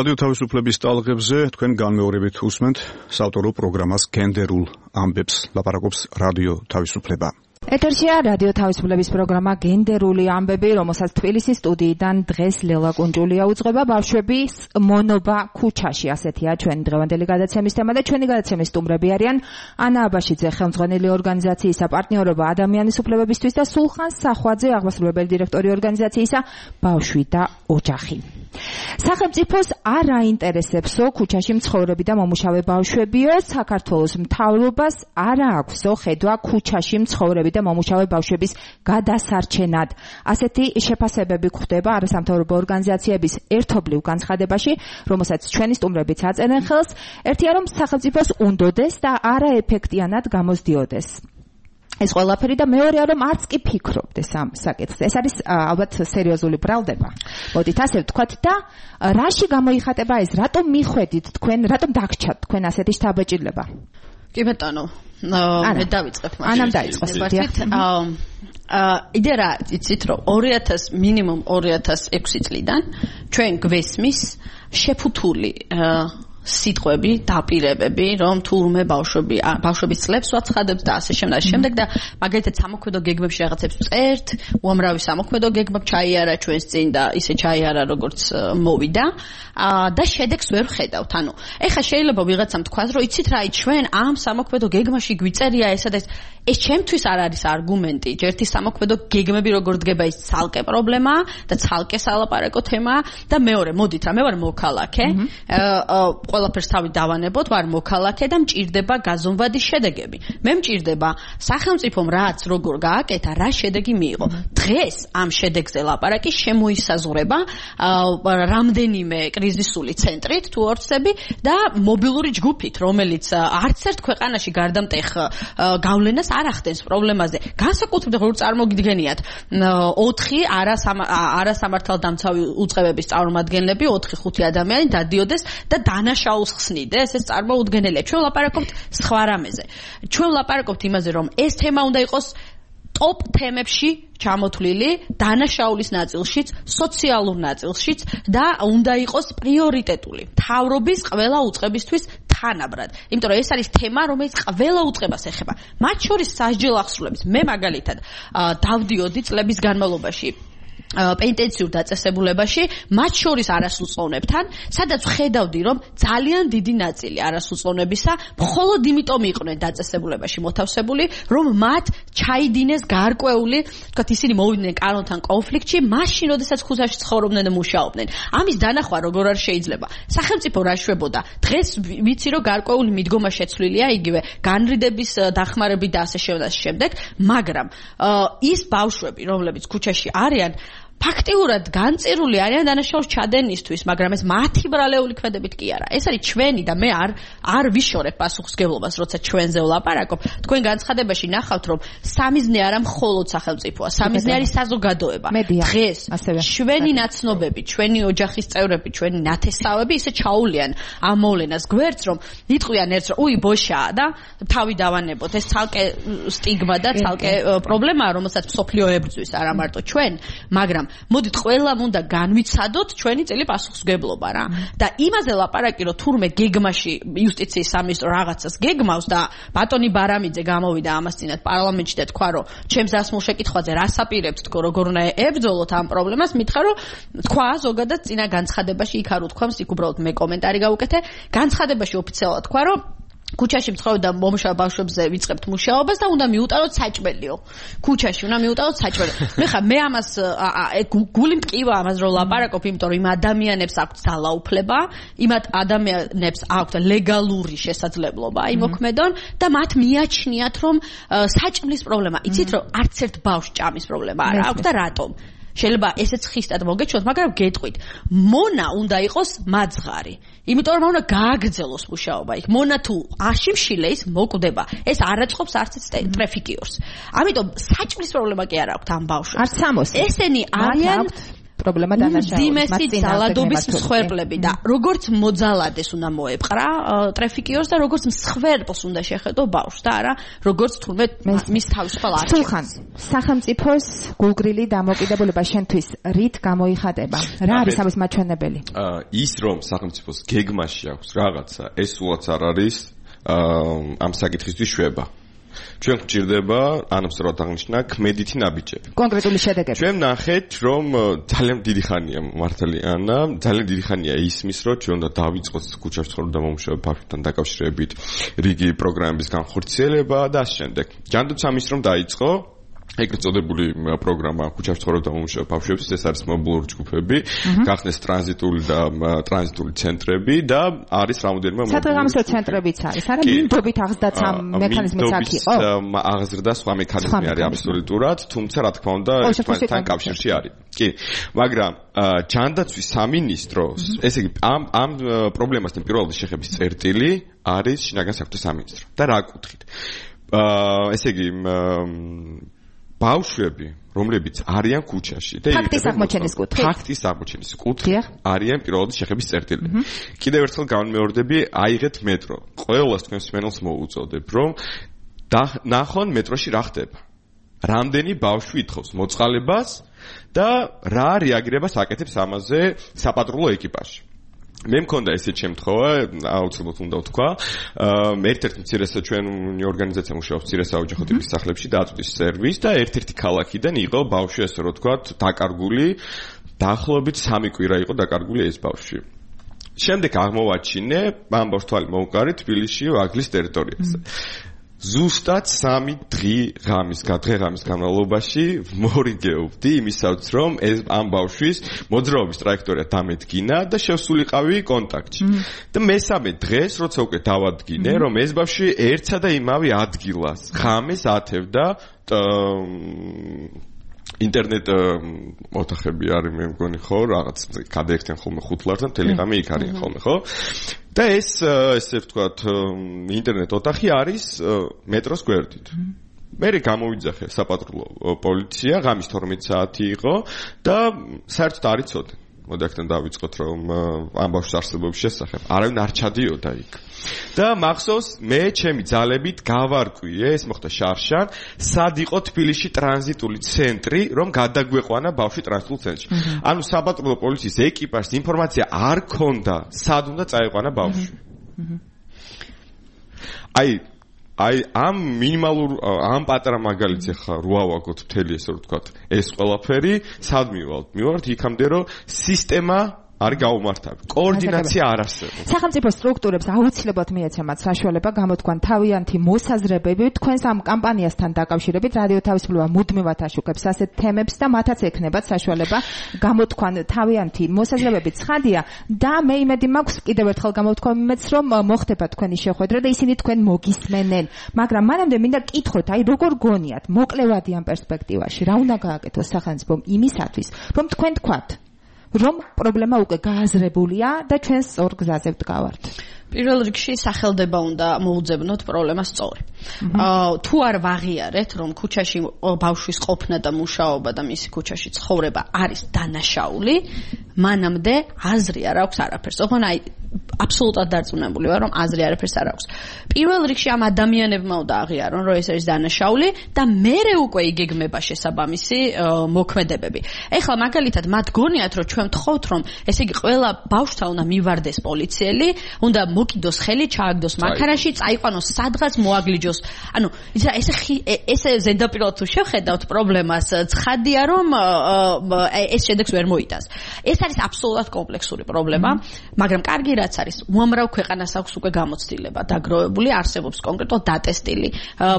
რადიო თავისუფლების ტალღებზე თქვენ განმეორებით უსმენთ საავტორო პროგრამას გენდერულ ამბებს, ლაპარაკობს რადიო თავისუფლება. ეთერშია რადიო თავისუფლების პროგრამა გენდერული ამბები, რომელსაც თბილისის სტუდიიდან დღეს ლელა კუნჭულია უძღვება. ბავშვების მონობა ქუჩაში, ასეთია ჩვენი დღევანდელი გადაცემის თემა და ჩვენი გადაცემის სტუმრები არიან ანა აბაშიძე, ხელმძღვანელი ორგანიზაციისა პარტნიორობა ადამიანის უფლებებისთვის და სულხან სახვაძე, აღმასრულებელი დირექტორი ორგანიზაციისა ბავშვი და ოჯახი. სახელმწიფოს არ აინტერესებსო ქუჩაში მცხოვრები და მომუშავე ბავშვებიო, საქართველოს მთავრობას არ აქვსო ხედვა ქუჩაში მცხოვრები და მომუშავე ბავშვების გადასარჩენად. ასეთი შეფასებები გვხვდება არასამთავრობო ორგანიზაციების ერთობლივ განცხადებაში, რომელსაც ჩვენი სტუმრებიც აწერენ ხელს. ერთია რომ სახელმწიფოს უნდოდეს და არაეფექტიანად გამოსდიოდეს ეს ყველაფერი და მეორეა რომ არც კი ფიქრობდეს ამ საკითხზე. ეს არის ალბათ სერიოზული ბრალდება. მოდით ასე ვთქვათ და რაში გამოიხატება ეს? რატომ მიხვედით თქვენ, რატომ დაგჭათ თქვენ ასეთი შთაბეჭდილება? კი ბატონო, მე დავიწყებ მაგრამ. ანამ დაიწყოს. იდეა რა, იცით რომ 2000 მინიმუმ 2006 წლიდან ჩვენ გვესმის შეფუთული სიტყვები, დაპირებები, რომ თურმე ბავშვების წლებს ვაცხადებს და ასე შემდეგ და მაგალითად სამოქმედო გეგმებში რაღაცებს წერთ, უამრავი სამოქმედო გეგმა ჩაიარა ჩვენს წინ და ისე ჩაიარა როგორც მოვიდა და შედეგს ვერ ხედავთ. ანუ ეხლა შეიძლება ვიღაცამ თქვას, რომ იცით რა, ჩვენ ამ სამოქმედო გეგმაში გვიწერია ესა და ეს ჩემთვის არ არის არგუმენტი. ერთი სამოქმედო გეგმები როგორ დგება ის ცალკე პრობლემაა და ცალკე სალაპარაკო თემაა და მეორე, მოდით რა, მე ვარ მოქალაქე, ყველაფერს თავი დავანებოთ, ვარ მოქალაქე და მჭირდება გაზომვადი შედეგები. მე მჭირდება სახელმწიფომ რაც როგორ გააკეთა, რა შედეგი მიიღო. დღეს ამ შედეგზე ლაპარაკი შემოისაზღვრება რამდენიმე კრიზისული ცენტრით თუ ორცები და მობილური ჯგუფით, რომელიც არც ერთ ქვეყანაში გარდამტეხ გავლენას არ ახდენს პრობლემაზე. განსაკუთრებით როგორ წარმოგიდგენიათ 4 არასამართალდამცავი უწყებების წარმომადგენლები, 4-5 ადამიანი დადიოდეს და დანაშაულს ხსნიდეს, ეს წარმოუდგენელია. ჩვენ ვლაპარაკობთ სხვა რამეზე. ჩვენ ვლაპარაკობთ იმაზე, რომ ეს თემა უნდა იყოს ტოპ თემებში ჩამოთვლილი, დანაშაულის ნაწილშიც, სოციალურ ნაწილშიც და უნდა იყოს პრიორიტეტული. მთავრობის ყველა უწყებისთვის თანაბრად. იმიტომ რომ ეს არის თემა, რომელიც ყველა უწყებას ეხება. მათ შორის სასჯელ აღსრულების. მე მაგალითად დავდიოდი წლების განმავლობაში პენტენციურ დაწესებულებაში, მათ შორის არასრულწლოვნებთან, სადაც ხედავდი, რომ ძალიან დიდი ნაწილი არასრულწლოვნებისა მხოლოდ იმიტომ იყვნენ დაწესებულებაში მოთავსებული, რომ მათ ჩაიდინეს გარკვეული, თქვათ ისინი მოვიდნენ კანონთან კონფლიქტში, მაშინ, როდესაც ქუჩაში ცხოვრობდნენ და მუშაობდნენ. ამის დანახვა როგორ არ შეიძლება? სახელმწიფო რა შვებოდა? დღეს ვიცი, რომ გარკვეული მიდგომა შეცვლილია, იგივე განრიდების დახმარებით და ასე შემდეგ, მაგრამ ის ბავშვები, რომლებიც ქუჩაში არიან, ფაქტიურად განწირული არიან დანაშაულს ჩადენისთვის, მაგრამ ეს მათი ბრალეული ქმედებით კი არა. ეს არის ჩვენი და მე არ ვიშორებ პასუხისგებლობას, როცა ჩვენზე ვლაპარაკობ. თქვენ განცხადებაში ნახავთ, რომ სამიზნე არა მხოლოდ სახელმწიფოა, სამიზნე არის საზოგადოება. დღეს ჩვენი ნაცნობები, ჩვენი ოჯახის წევრები, ჩვენი ნათესავები ისე ჩაულიან ამ მოვლენას გვერდს, რომ იტყვიან ერთს, რომ უი ბოშაა და თავი დავანებოთ. ეს ცალკე სტიგმა და ცალკე პრობლემაა, რომელსაც მსოფლიო ებრძვის, არა მარტო ჩვენ, მაგრამ მოდით ყველამ უნდა განვიცადოთ ჩვენი წელი პასუხისმგებლობა რა. და იმაზე ლაპარაკი, რომ თურმე გეგმაში იუსტიციის სამინისტრო რაღაცას გეგმავს და ბატონი ბარამიძე გამოვიდა ამას წინათ პარლამენტში და თქვა, რომ ჩემს დასმულ შეკითხვაზე რას აპირებთ თქო, როგორ უნდა ებრძოლოთ ამ პრობლემას, მითხრა, რომ თქვა ზოგადად წინა განცხადებაში იქ არ უთქვამს, იქ უბრალოდ მე კომენტარი გავუკეთე, განცხადებაში ოფიციალურად თქვა, რომ ქუჩაში მცხოვრებ და მომუშავე ბავშვებზე ვიწყებთ მუშაობას და უნდა მიუტაროთ საჭმელიო. ქუჩაში უნდა მიუტაროთ საჭმელი. მე ამას გული მტკივა ამას რომ ლაპარაკობ, იმიტომ რომ იმ ადამიანებს აქვთ ძალაუფლება, იმ ადამიანებს აქვთ ლეგალური შესაძლებლობა იმოქმედონ და მათ მიაჩნიათ რომ საჭმლის პრობლემა. იცით რომ არც ერთ ბავშვს ჭამის პრობლემა არ აქვს და რატომ? შეიძლება ესეც ხისტად მოგეჩვენოთ, მაგრამ გეტყვით, მონა უნდა იყოს მაძღარი. იმიტომ რომ უნდა გააგრძელოს მუშაობა იქ. მონა თუ აშიმშილე ის მოკვდება. ეს არ აწყობს არც ტრაფიკიორს. ამიტომ საჭმლის პრობლემა კი არ აქვს ამ ბავშვებს. არც სამოსი. ესენი არიან პრობლემა დანაშაულის ძალადობის მსხვერპლები და როგორც მოძალადეს უნდა მოეპყრა ტრაფიკიორს და როგორც მსხვერპლს უნდა შეხედო ბავშვს და არა როგორც თურმე მის თავისუფალ არჩევანს. სულხან, სახელმწიფოს გულგრილი დამოკიდებულება შენთვის რით გამოიხატება? რა არის ამის მაჩვენებელი? ის რომ სახელმწიფოს გეგმაში აქვს რაღაცა, ეს უაც არ არის ამ საკითხისთვის შვება. ჩვენ გვჭირდება, ანუ სწორად აღნიშნა, ქმედითი ნაბიჯები. კონკრეტული შედეგები. ჩვენ ნახეთ, რომ ძალიან დიდი ხანია მართალი ანა, ძალიან დიდი ხანია ისმის, რომ ჩვენ უნდა დავიწყოთ ქუჩაში ცხოვრობ და მომუშავე ბავშვებთან დაკავშირებით რიგი პროგრამების განხორციელება და ასე შემდეგ. ჯანდაცვის სამინისტრომ დაიწყო ეგრეთ წოდებული პროგრამა ქუჩაში ცხოვრობ და მომუშავებ ბავშვებს, ეს არის მობილური ჯგუფები, გახსნეს ტრანზიტული ცენტრები და არის რამოდენიმე სადღამისო ცენტრებიც არის. არა მინდობით აღზრდაც ამ მექანიზმიც აქ იყო. აღზრდა სხვა მექანიზმი არის აბსოლუტურად, თუმცა რა თქმა უნდა ეს თქვენთან კავშირში არის. კი, მაგრამ ჯანდაცვის სამინისტროს, ესე იგი ამ პრობლემასთან პირველად შეხების წერტილი არის შინაგან საქმეთა სამინისტრო. და რა კუთხით? ესე იგი ბავშვები, რომლებიც არიან ქუჩაში და ფაქტის აღმოჩენის კუთხით არიან პირველად შეხების წერტილი. კიდევ ერთხელ განმეორდები, აიღეთ მეტრო. ყველას თქვენს მენელს მოუწოდებ, რომ ნახონ მეტროში რა ხდება. რამდენი ბავშვი ითხოვს მოწყალებას და რა რეაგირებას აკეთებს ამაზე საპატრულო ეკიპაჟი. მე მქონდა ესეთ შემთხვევა, აუცილებლად უნდა ვთქვა, ერთ-ერთი მცირესა ჩვენი ორგანიზაცია მუშაობს მცირესაოჯახო ტიპის სახლებში დაწვდის სერვისს და ერთ-ერთი ქალაქიდან იყო ბავშვი, ასე რომ ვთქვათ, დაკარგული, დაახლოებით 3 კვირა იყო დაკარგული ეს ბავშვი. შემდეგ აღმოვაჩინე, ამბავს თვალი მოუყარი თბილისში ვაგლის ტერიტორიაზე. ზუსტად 3 დღე-ღამის განმავლობაში მორიგეობდი იმისაც, რომ ეს ამ ბავშვის მოძრაობის ტრაექტორია დამედგინა და შევსულიყავი კონტაქტში. და მესამე დღეს, როცა უკვე დავადგინე, რომ ეს ბავშვი ერთსა და იმავე ადგილას ღამეს ათევდა ინტერნეტ ოთახები არის მე მგონი ხო რაღაც გადაექცენ ხოლმე 5 ლარს და მთელი ღამე იქ არიან ხოლმე ხო და ესე ვთქვათ ინტერნეტ ოთახი არის მეტროს გვერდით მე გამოვიძახე საპატრულო პოლიცია ღამის 12 საათი იყო და საერთოდ არ იცოდნენ მოდაქთან დავიწყოთ რომ ამ ბავშვის არსებობის შესახებ არავინ არ ჩადიოდა იქ და მახსოვს მე ჩემი ძალებით გავარკვიე ეს მოხდა შარშან სად იყო თბილისში ტრანზიტული ცენტრი რომ გადაგვეყვანა ბავშვი ტრანზიტულ ცენტრში ანუ საპატრულო პოლიციის ეკიპაჟს ინფორმაცია არ ქონდა სად უნდა წაეყვანა ბავშვი აი ამ მინიმალურ ამ პატარა მაგალითს ახლა რო ავაგოთ მთელი ესე რომ ვთქვათ ეს ყველაფერი სად მივართ იქამდე რომ სისტემა არ გაუმართავი. კოორდინაცია არ არსებობს. სახელმწიფო სტრუქტურებს აუცილებლად მიეცემათ საშუალება გამოთქვან თავიანთი მოსაზრებები თქვენს ამ კამპანიასთან დაკავშირებით რადიო თავისუფლება მუდმივად აშუქებს ასეთ თემებს და მათაც ექნებათ საშუალება გამოთქვან თავიანთი მოსაზრებები ცხადია და მე იმედი მაქვს კიდევ ერთხელ გამოთქვამ იმედს რომ მოხდება თქვენი შეხვედრა და ისინი თქვენ მოგისმენენ მაგრამ მანამდე მინდა კითხოთ აი როგორ გონიათ მოკლევადი ამ პერსპექტივაში რა უნდა გააკეთოს სახელმწიფომ იმისათვის რომ თქვენ თქვათ რომ პრობლემა უკვე გააზრებულია და ჩვენ სწორ გზაზე ვდგავართ. პირველ რიგში სახელდება უნდა მოუძებნოთ პრობლემას სწორი. თუ არ ვაღიარეთ, რომ ქუჩაში ბავშვის ყოფნა და მუშაობა და მისი ქუჩაში ცხოვრება არის დანაშაული, მანამდე აზრი არ აქვს არაფერს. ოღონდ აი აბსოლუტურად დარწმუნებული ვარ, რომ აზრი არაფერს არ აქვს. პირველ რიგში ამ ადამიანებმა უნდა აღიარონ, რომ ეს არის დანაშაული და მერე უკვე იგეგმება შესაბამისი მოქმედებები. ეხლა მაგალითად მათ გონიათ, რომ ჩვენ ვთხოვთ, რომ ესე იგი ყველა ბავშვთან უნდა მივარდეს პოლიციელი, უნდა მოკიდოს ხელი, ჩააგდოს მანქანაში, წაიყვანოს სადღაც მოაგლიჯოს. ანუ ესე ზედაპირულად თუ შევხედავთ პრობლემას, ცხადია რომ ეს შედეგს ვერ მოიტანს. ეს არის აბსოლუტურად კომპლექსური პრობლემა, მაგრამ კარგი რაც არის, უამრავ ქვეყანას აქვს უკვე გამოცდილება დაგროვებული, არსებობს კონკრეტულად დატესტილი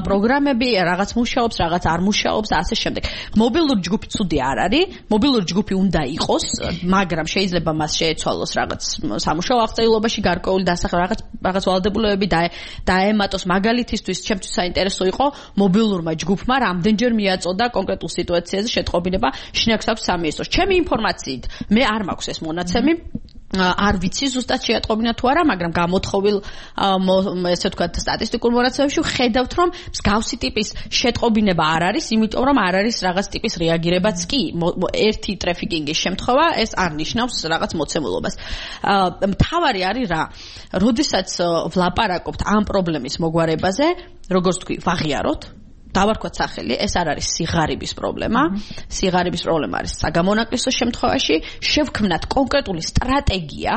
პროგრამები, რაღაც მუშაობს, რაღაც არ მუშაობს და ასე შემდეგ. მობილური ჯგუფი ცუდი არ არის, მობილური ჯგუფი უნდა იყოს, მაგრამ შეიძლება მას შეეცვალოს რაღაც სამუშაო აღწერილობაში გარკვეული რაღაც ვალდებულებები დაემატოს მაგალითისთვის ჩემთვის საინტერესო იყო მობილურმა ჯგუფმა რამდენჯერ მიაწოდა კონკრეტულ სიტუაციაზე შეტყობინება შინაგან საქმეთა სამინისტროს. ჩემი ინფორმაციით მე არ მაქვს ეს მონაცემი არ ვიცი ზუსტად შეატყობინა თუ არა, მაგრამ გამოთხოვილ ესე ვთქვათ სტატისტიკურ მონაცემებში ხედავთ, რომ მსგავსი ტიპის შეტყობინება არ არის, იმიტომ რომ არ არის რაღაც ტიპის რეაგირებაც კი. ერთი ტრაფიკინგის შემთხვევა ეს არ ნიშნავს რაღაც მოცემულობას. მთავარი არის რა, როდესაც ვლაპარაკობთ ამ პრობლემის მოგვარებაზე, როგორც თქვი, ვაღიაროთ დავარქვათ სახელი, ეს არ არის სიღარიბის პრობლემა. სიღარიბის პრობლემა არის საგამონაკლისო შემთხვევაში, შევქმნათ კონკრეტული სტრატეგია,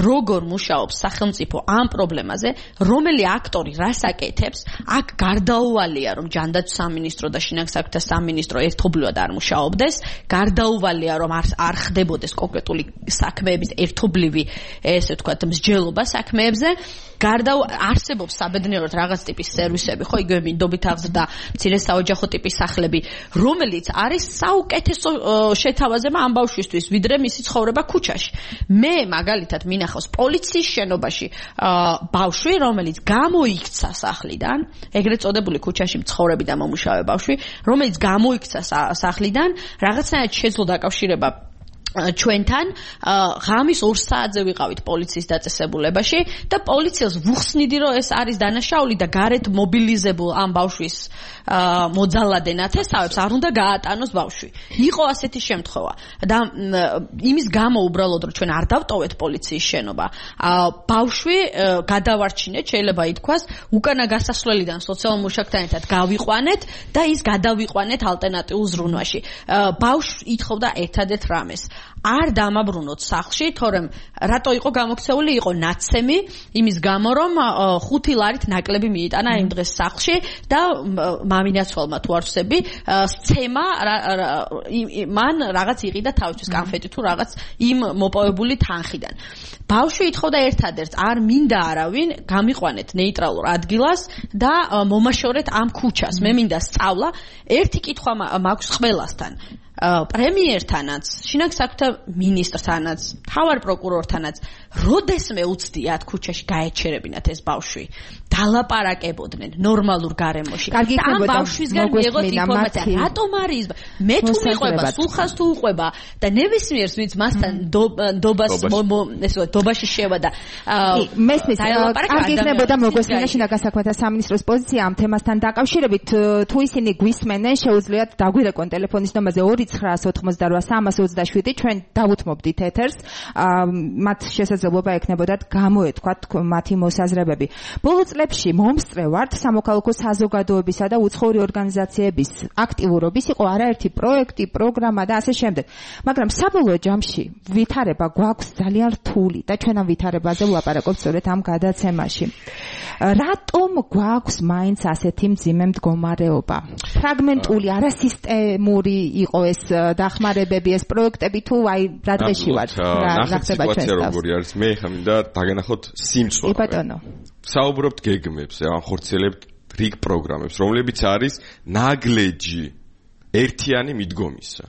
როგორ მუშაობს სახელმწიფო ამ პრობლემაზე, რომელი აქტორი რას აკეთებს, აქ გარდაუვალია, რომ ჯანდაცვის სამინისტრო და შინაგან საქმეთა სამინისტრო ერთობლივად არ მუშაობდეს, გარდაუვალია, რომ არ ხდებოდეს კონკრეტული საქმეების ერთობლივი, ესე ვთქვათ, მსჯელობა საქმეებზე, არსებობს საბედნიეროდ რაღაც ტიპის სერვისები, ხო, იგივე მინდობით აღზრდა მცირე საოჯახო ტიპის სახლები, რომელიც არის საუკეთესო შეთავაზება ამ ბავშვისთვის, ვიდრე მისი ცხოვრება ქუჩაში. მე მაგალითად მინახავს პოლიციის შენობაში ბავშვი, რომელიც გამოიქცა სახლიდან, ეგრეთ წოდებული ქუჩაში მცხოვრები და მომუშავე ბავშვი, რომელიც გამოიქცა სახლიდან, რაღაცნაირად შეძლო დაკავშირება ჩვენთან ღამის 2 საათზე ვიყავით პოლიციის დაწესებულებაში და პოლიციელს ვუხსნიდი რომ ეს არის დანაშაული და გარეთ მობილიზებულ ამ ბავშვის მოძალადე ნათესავებს არ უნდა გაატანოს ბავშვი. იყო ასეთი შემთხვევა და იმის გამო უბრალოდ რომ ჩვენ არ დავტოვეთ პოლიციის შენობა, ბავშვი გადავარჩინეთ, შეიძლება ითქვას, უკანა გასასვლელიდან სოციალურ მუშაკთან ერთად გავიყვანეთ და ის გადავიყვანეთ ალტერნატიულ ზრუნვაში. ბავშვი ითხოვდა ერთადერთ რამეს არ დამაბრუნოთ სახლში, თორემ რატო იყო გამოქცეული, იყო ნაცემი, იმის გამო რომ 5 ლარით ნაკლები მიიტანა იმ დღეს სახლში და მამინაცვალმა თუ არ ვსები, სცემა მან რაღაც იყიდა თავისთვის კანფეტი თუ რაღაც იმ მოპოვებული თანხიდან. ბავშვი ითხოვდა ერთადერთ, არ მინდა არავინ, გამიყვანეთ ნეიტრალურ ადგილას და მომაშორეთ ამ ქუჩას. მე მინდა სწავლა. ერთი კითხვა მაქვს ყველასთან. პრემიერთანაც, შინაგან საქმეთა მინისტრთანაც, მთავარ პროკურორთანაც, როდესმე უცდიათ ქუჩაში გაეჩერებინათ ეს ბავშვი, დალაპარაკებოდნენ ნორმალურ გარემოში. კარგი იქნებოდა ბავშვისგან მიიღოთ ინფორმაცია, რატომ არის? მე თუ მიყვება, სულხას თუ უყვება და ნებისმიერს ვინც მასთან დობაში შევა და მესმის, კარგი იქნებოდა მოგვესმინა შინაგან საქმეთა სამინისტროს პოზიცია ამ თემასთან დაკავშირებით, თუ ისინი გვისმენენ, შეუძლიათ დაგვირეკონ ტელეფონის ნომერზე 2988327 ჩვენ დავუთმობდით ეთერს, მათ შესაძლებლობა ექნებოდათ გამოეთქვათ მათი მოსაზრებები. ბოლო წლებში მომსწრე ვართ სამოქალაქო საზოგადოებისა და უცხოური ორგანიზაციების აქტიურობის, იყო არაერთი პროექტი, პროგრამა და ასე შემდეგ. მაგრამ საბოლოო ჯამში ვითარება გვაქვს ძალიან რთული და ჩვენ ამ ვითარებაზე ვლაპარაკობთ სწორედ ამ გადაცემაში. რატომ გვაქვს მაინც ასეთი მძიმე მდგომარეობა? ფრაგმენტული, არასისტემური იყო ეს დახმარებები, ეს პროექტები თუ აი რა დღეში ვართ? რა ხდება ჩვენს თავს? როგორი არის? მე ხა მინდა დაგენახოთ სიმწვავე. ბატონო. საუბრობთ გეგმებზე, ახორციელებთ რიგ პროგრამებს, რომლებიც არის ნაგლეჯი ერთიანი მიდგომისა.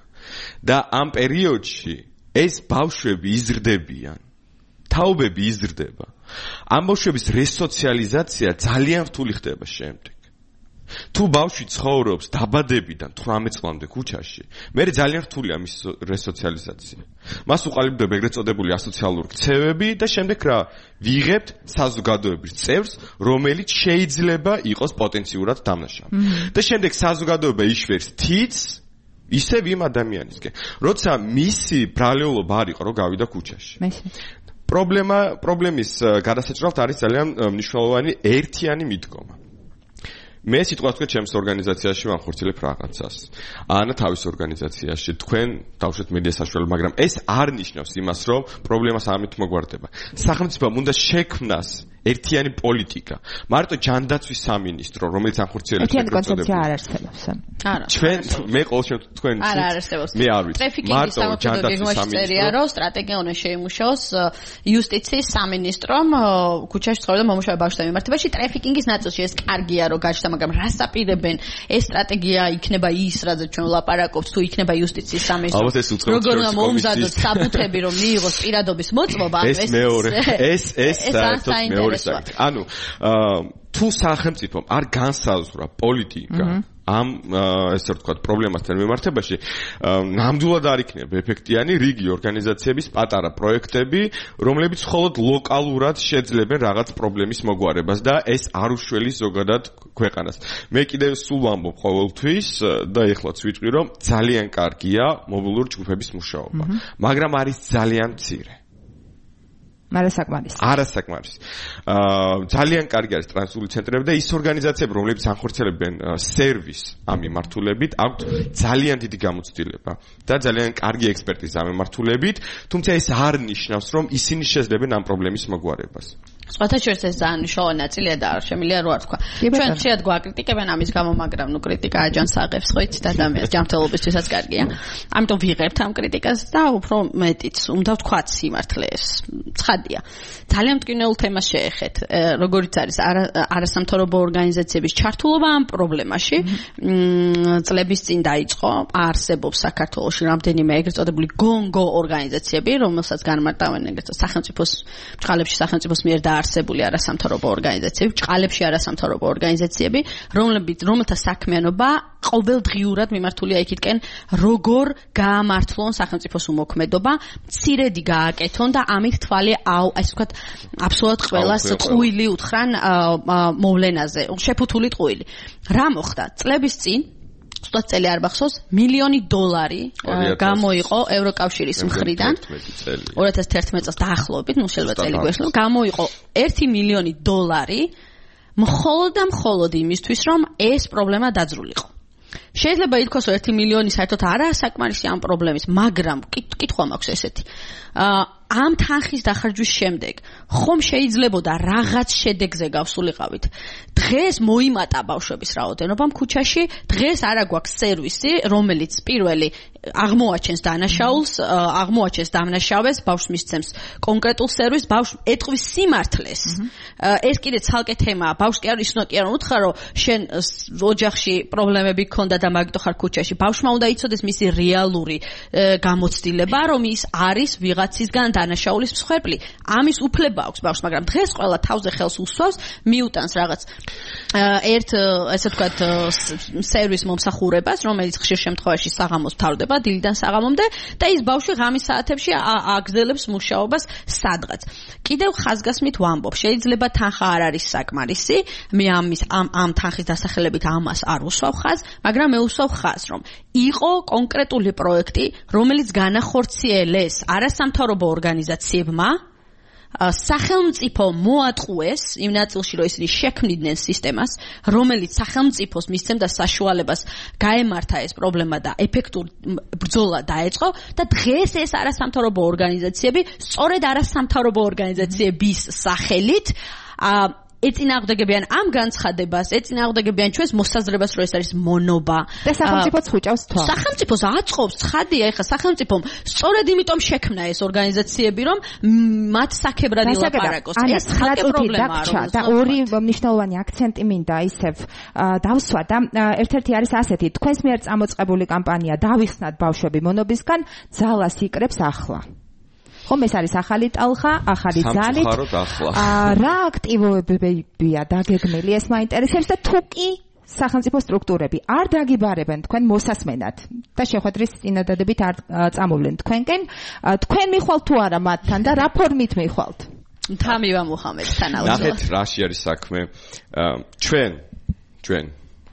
და ამ პერიოდში ეს ბავშვები იზრდებიან. თაობები იზრდება. ამ ბავშვების რესოციალიზაცია ძალიან რთული ხდება შემდეგ. თუ ბავშვი ცხოვრობს დაბადებიდან 18 წლამდე ქუჩაში, მე ძალიან რთულია მის რესოციალიზაცია. მას უყალიბდება ეგრეთ წოდებული ასოციალური ქცევები და შემდეგ რა ვიღებთ საზოგადოების წევრს, რომელიც შეიძლება იყოს პოტენციურად დამნაშავე. და შემდეგ საზოგადოება იშვერს თითს ისევ იმ ადამიანისკენ, როცა მისი ბრალეულობა არ იყო, რომ გავიდა ქუჩაში. პრობლემის გადასაჭრელად არის ძალიან მნიშვნელოვანი ერთიანი მიდგომა. მე სიტყვას ვთქვი ჩემს ორგანიზაციაში ვახორციელებ რაღაცას. ან თავის ორგანიზაციაში თქვენ დავუშვათ მედია საშუალება, მაგრამ ეს არ ნიშნავს იმას, რომ პრობლემას ამით მოგვარდება. სახელმწიფომ უნდა შექმნას ერთიანი პოლიტიკა. მარტო ჯანდაცვის სამინისტრო, რომელიც ახორციელებს ერთიანი კონცეფცია არ არსებობს. არა. ჩვენ მე ყოველ შემთხვევაში თქვენ არ არსებობს. მე არ ვიცი. მარტო ჯანდაცვის სამინისტრო რომ სტრატეგია უნდა შეიმუშაოს იუსტიციის სამინისტრომ ქუჩაში ცხოვრება მომუშავე ბავშვთა მიმართებაში ტრაფიკინგის ნაწილში. ეს კარგია რომ გაჩნდა, მაგრამ რას აპირებენ? ეს სტრატეგია იქნება ის, რაზე ჩვენ ვლაპარაკობთ, თუ იქნება იუსტიციის სამინისტრო. როგორ უნდა მოუმზადოთ საბუთები, რომ მიიღოს პირადობის მოწმობა? ეს მეორე. ეს საერთოდ მეორე საკითხი. ანუ თუ სახელმწიფომ არ განსაზღვრა პოლიტიკა ამ ესე ვთქვათ პრობლემასთან მიმართებაში, ნამდვილად არ იქნება ეფექტიანი რიგი ორგანიზაციების პატარა პროექტები, რომლებიც მხოლოდ ლოკალურად შეძლებენ რაღაც პრობლემის მოგვარებას და ეს არ უშველის ზოგადად ქვეყანას. მე კიდევ სულ ვამბობ ყოველთვის და ეხლაც ვიტყვი, რომ ძალიან კარგია მობილური ჯგუფების მუშაობა, მაგრამ არის ძალიან მცირე. არასაკმარისი. ძალიან კარგი არის ტრანსპორტული ცენტრები და ის ორგანიზაციები, რომლებიც ახორციელებენ სერვისს ამ მიმართულებით, აქვთ ძალიან დიდი გამოცდილება და ძალიან კარგი ექსპერტიზა ამ მიმართულებით, თუმცა ეს არ ნიშნავს, რომ ისინი შეძლებენ ამ პრობლემის მოგვარებას. სხვათა შორის ეს ძალიან მნიშვნელოვანი ნაწილია და არ შემიძლია რო არ თქვა. ჩვენ ხშირად გვაკრიტიკებენ ამის გამო, მაგრამ ნუ კრიტიკა აჯანს აღებს ხო იცით ადამიანს ჯანმრთელობისთვისაც კარგია. ამიტომ ვიღებთ ამ კრიტიკას და უფრო მეტიც უნდა ვთქვათ სიმართლეს. ცხადია. ძალიან მტკივნეულ თემას შეეხეთ. როგორიც არის არასამთავრობო ორგანიზაციების ჩართულობა ამ პრობლემაში. წლების წინ დაიწყო, არსებობს საქართველოში რამდენიმე ეგრეთ წოდებული გონგო ორგანიზაციები, რომელსაც განმარტავენ ეგრეთ სახელმწიფოს ჭყალებში სახელმწიფოს მიერ დაარსებული არასამთავრობო ორგანიზაციები, ჭყალებში არასამთავრობო ორგანიზაციები, რომელთა საქმიანობა ყოველდღიურად მიმართულია იქითკენ, როგორ გაამართლონ სახელმწიფოს უმოქმედობა, მცირედი გააკეთონ და ამით თვალი ასე ვთქვათ, აბსოლუტურად ყველას ტყუილი უთხრან მოვლენაზე, შეფუთული ტყუილი. რა მოხდა? წლების წინ სულ წელი არ მახსოვს, $1,000,000 გამოიყო ევროკავშირის მხრიდან 2011 წელს დაახლოებით, ნუ შეიძლება წელი გვეშლო, გამოიყო $1,000,000 მხოლოდ იმისთვის, რომ ეს პრობლემა დაძრულიყო. შეიძლება ითქვას, რომ 1,000,000 საერთოდ არაა საკმარისი ამ პრობლემის, მაგრამ კითხვა მაქვს ესეთი. ამ თანხის დახარჯვის შემდეგ ხომ შეიძლებოდა რაღაც შედეგზე გავსულიყავით. დღეს მოიმატა ბავშვების რაოდენობა ქუჩაში, დღეს არა გვაქვს სერვისი, რომელიც პირველი აღმოაჩენს დანაშაულს, აღმოაჩენს დამნაშავეს, ბავშვს მისცემს კონკრეტულ სერვისს, ბავშვს ეტყვის სიმართლეს. ეს კიდე ცალკე თემაა. ბავშვს კი არ ისნო კი არ უთხარ, რომ შენ ოჯახში პრობლემები გქონდა და მაგიტო ხარ ქუჩაში. ბავშვმა უნდა იცოდეს მისი რეალური გამოცდილება, რომ ის არის ვიღაცისგან დანაშაულის მსხვერპლი. ამის უფლება აქვს ბავშვს, მაგრამ დღეს ყველა თავზე ხელს უსვავს, მიუტანს რაღაც ესე ვთქვათ სერვის მომსახურებას, რომელიც ხშირ შემთხვევაში საღამოს თავდება, დილიდან საღამომდე და ის ბავშვი ღამის საათებში აგზელებს მუშაობას სადღაც. კიდევ ხაზგასმით ვამბობ, შეიძლება თანხა არ არის საკმარისი, მე ამ თანხის დასახელებით ამას არ უსვავ ხაზს, მაგრამ მე უსვავ ხაზს, რომ იყო კონკრეტული პროექტი, რომელიც განახორციელეს არასამთავრობო ორგანიზაციებმა, სახელმწიფო მოატყუეს იმ ნაწილში, რომ ისინი შექმნიდნენ სისტემას, რომელიც სახელმწიფოს მისცემდა საშუალებას გაემართა ეს პრობლემა და ეფექტურ ბრძოლა დაეწყო და დღეს ეს არასამთავრობო ორგანიზაციები სწორედ არასამთავრობო ორგანიზაციების სახელით ეწინააღმდეგებიან ამ განცხადებას, ეწინააღმდეგებიან ჩვენს მოსაზრებას, რომ ეს არის მონობა. და სახელმწიფოც ხუჭავს თვალს. სახელმწიფოს აწყობს, ცხადია, ეხლა სახელმწიფომ სწორედ იმიტომ შექმნა ეს ორგანიზაციები, რომ მათ საქებრად ილაპარაკოს. ეს ხალხი პრობლემაა. და ორი მნიშვნელოვანი აქცენტი მინდა ისევ დავსვა და ერთ-ერთი არის ასეთი, თქვენს მიერ წამოწყებული კამპანია დავიხსნათ ბავშვები მონობისგან, ძალას იკრებს ახლა. ხომ ეს არის ახალი ტალღა, ახალი ძალით. რა აქტივობებია დაგეგმილი, ეს მაინტერესებს და თუ კი სახელმწიფო სტრუქტურები არ დაგიბარებენ თქვენ მოსასმენად და შეხვედრის წინადადებით არ წამოვლენ თქვენკენ, თქვენ მიხვალთ თუ არა მათთან და რა ფორმით მიხვალთ? თამივა მუხამედთან ალბათ. ნახეთ, რაში არის საქმე. ჩვენ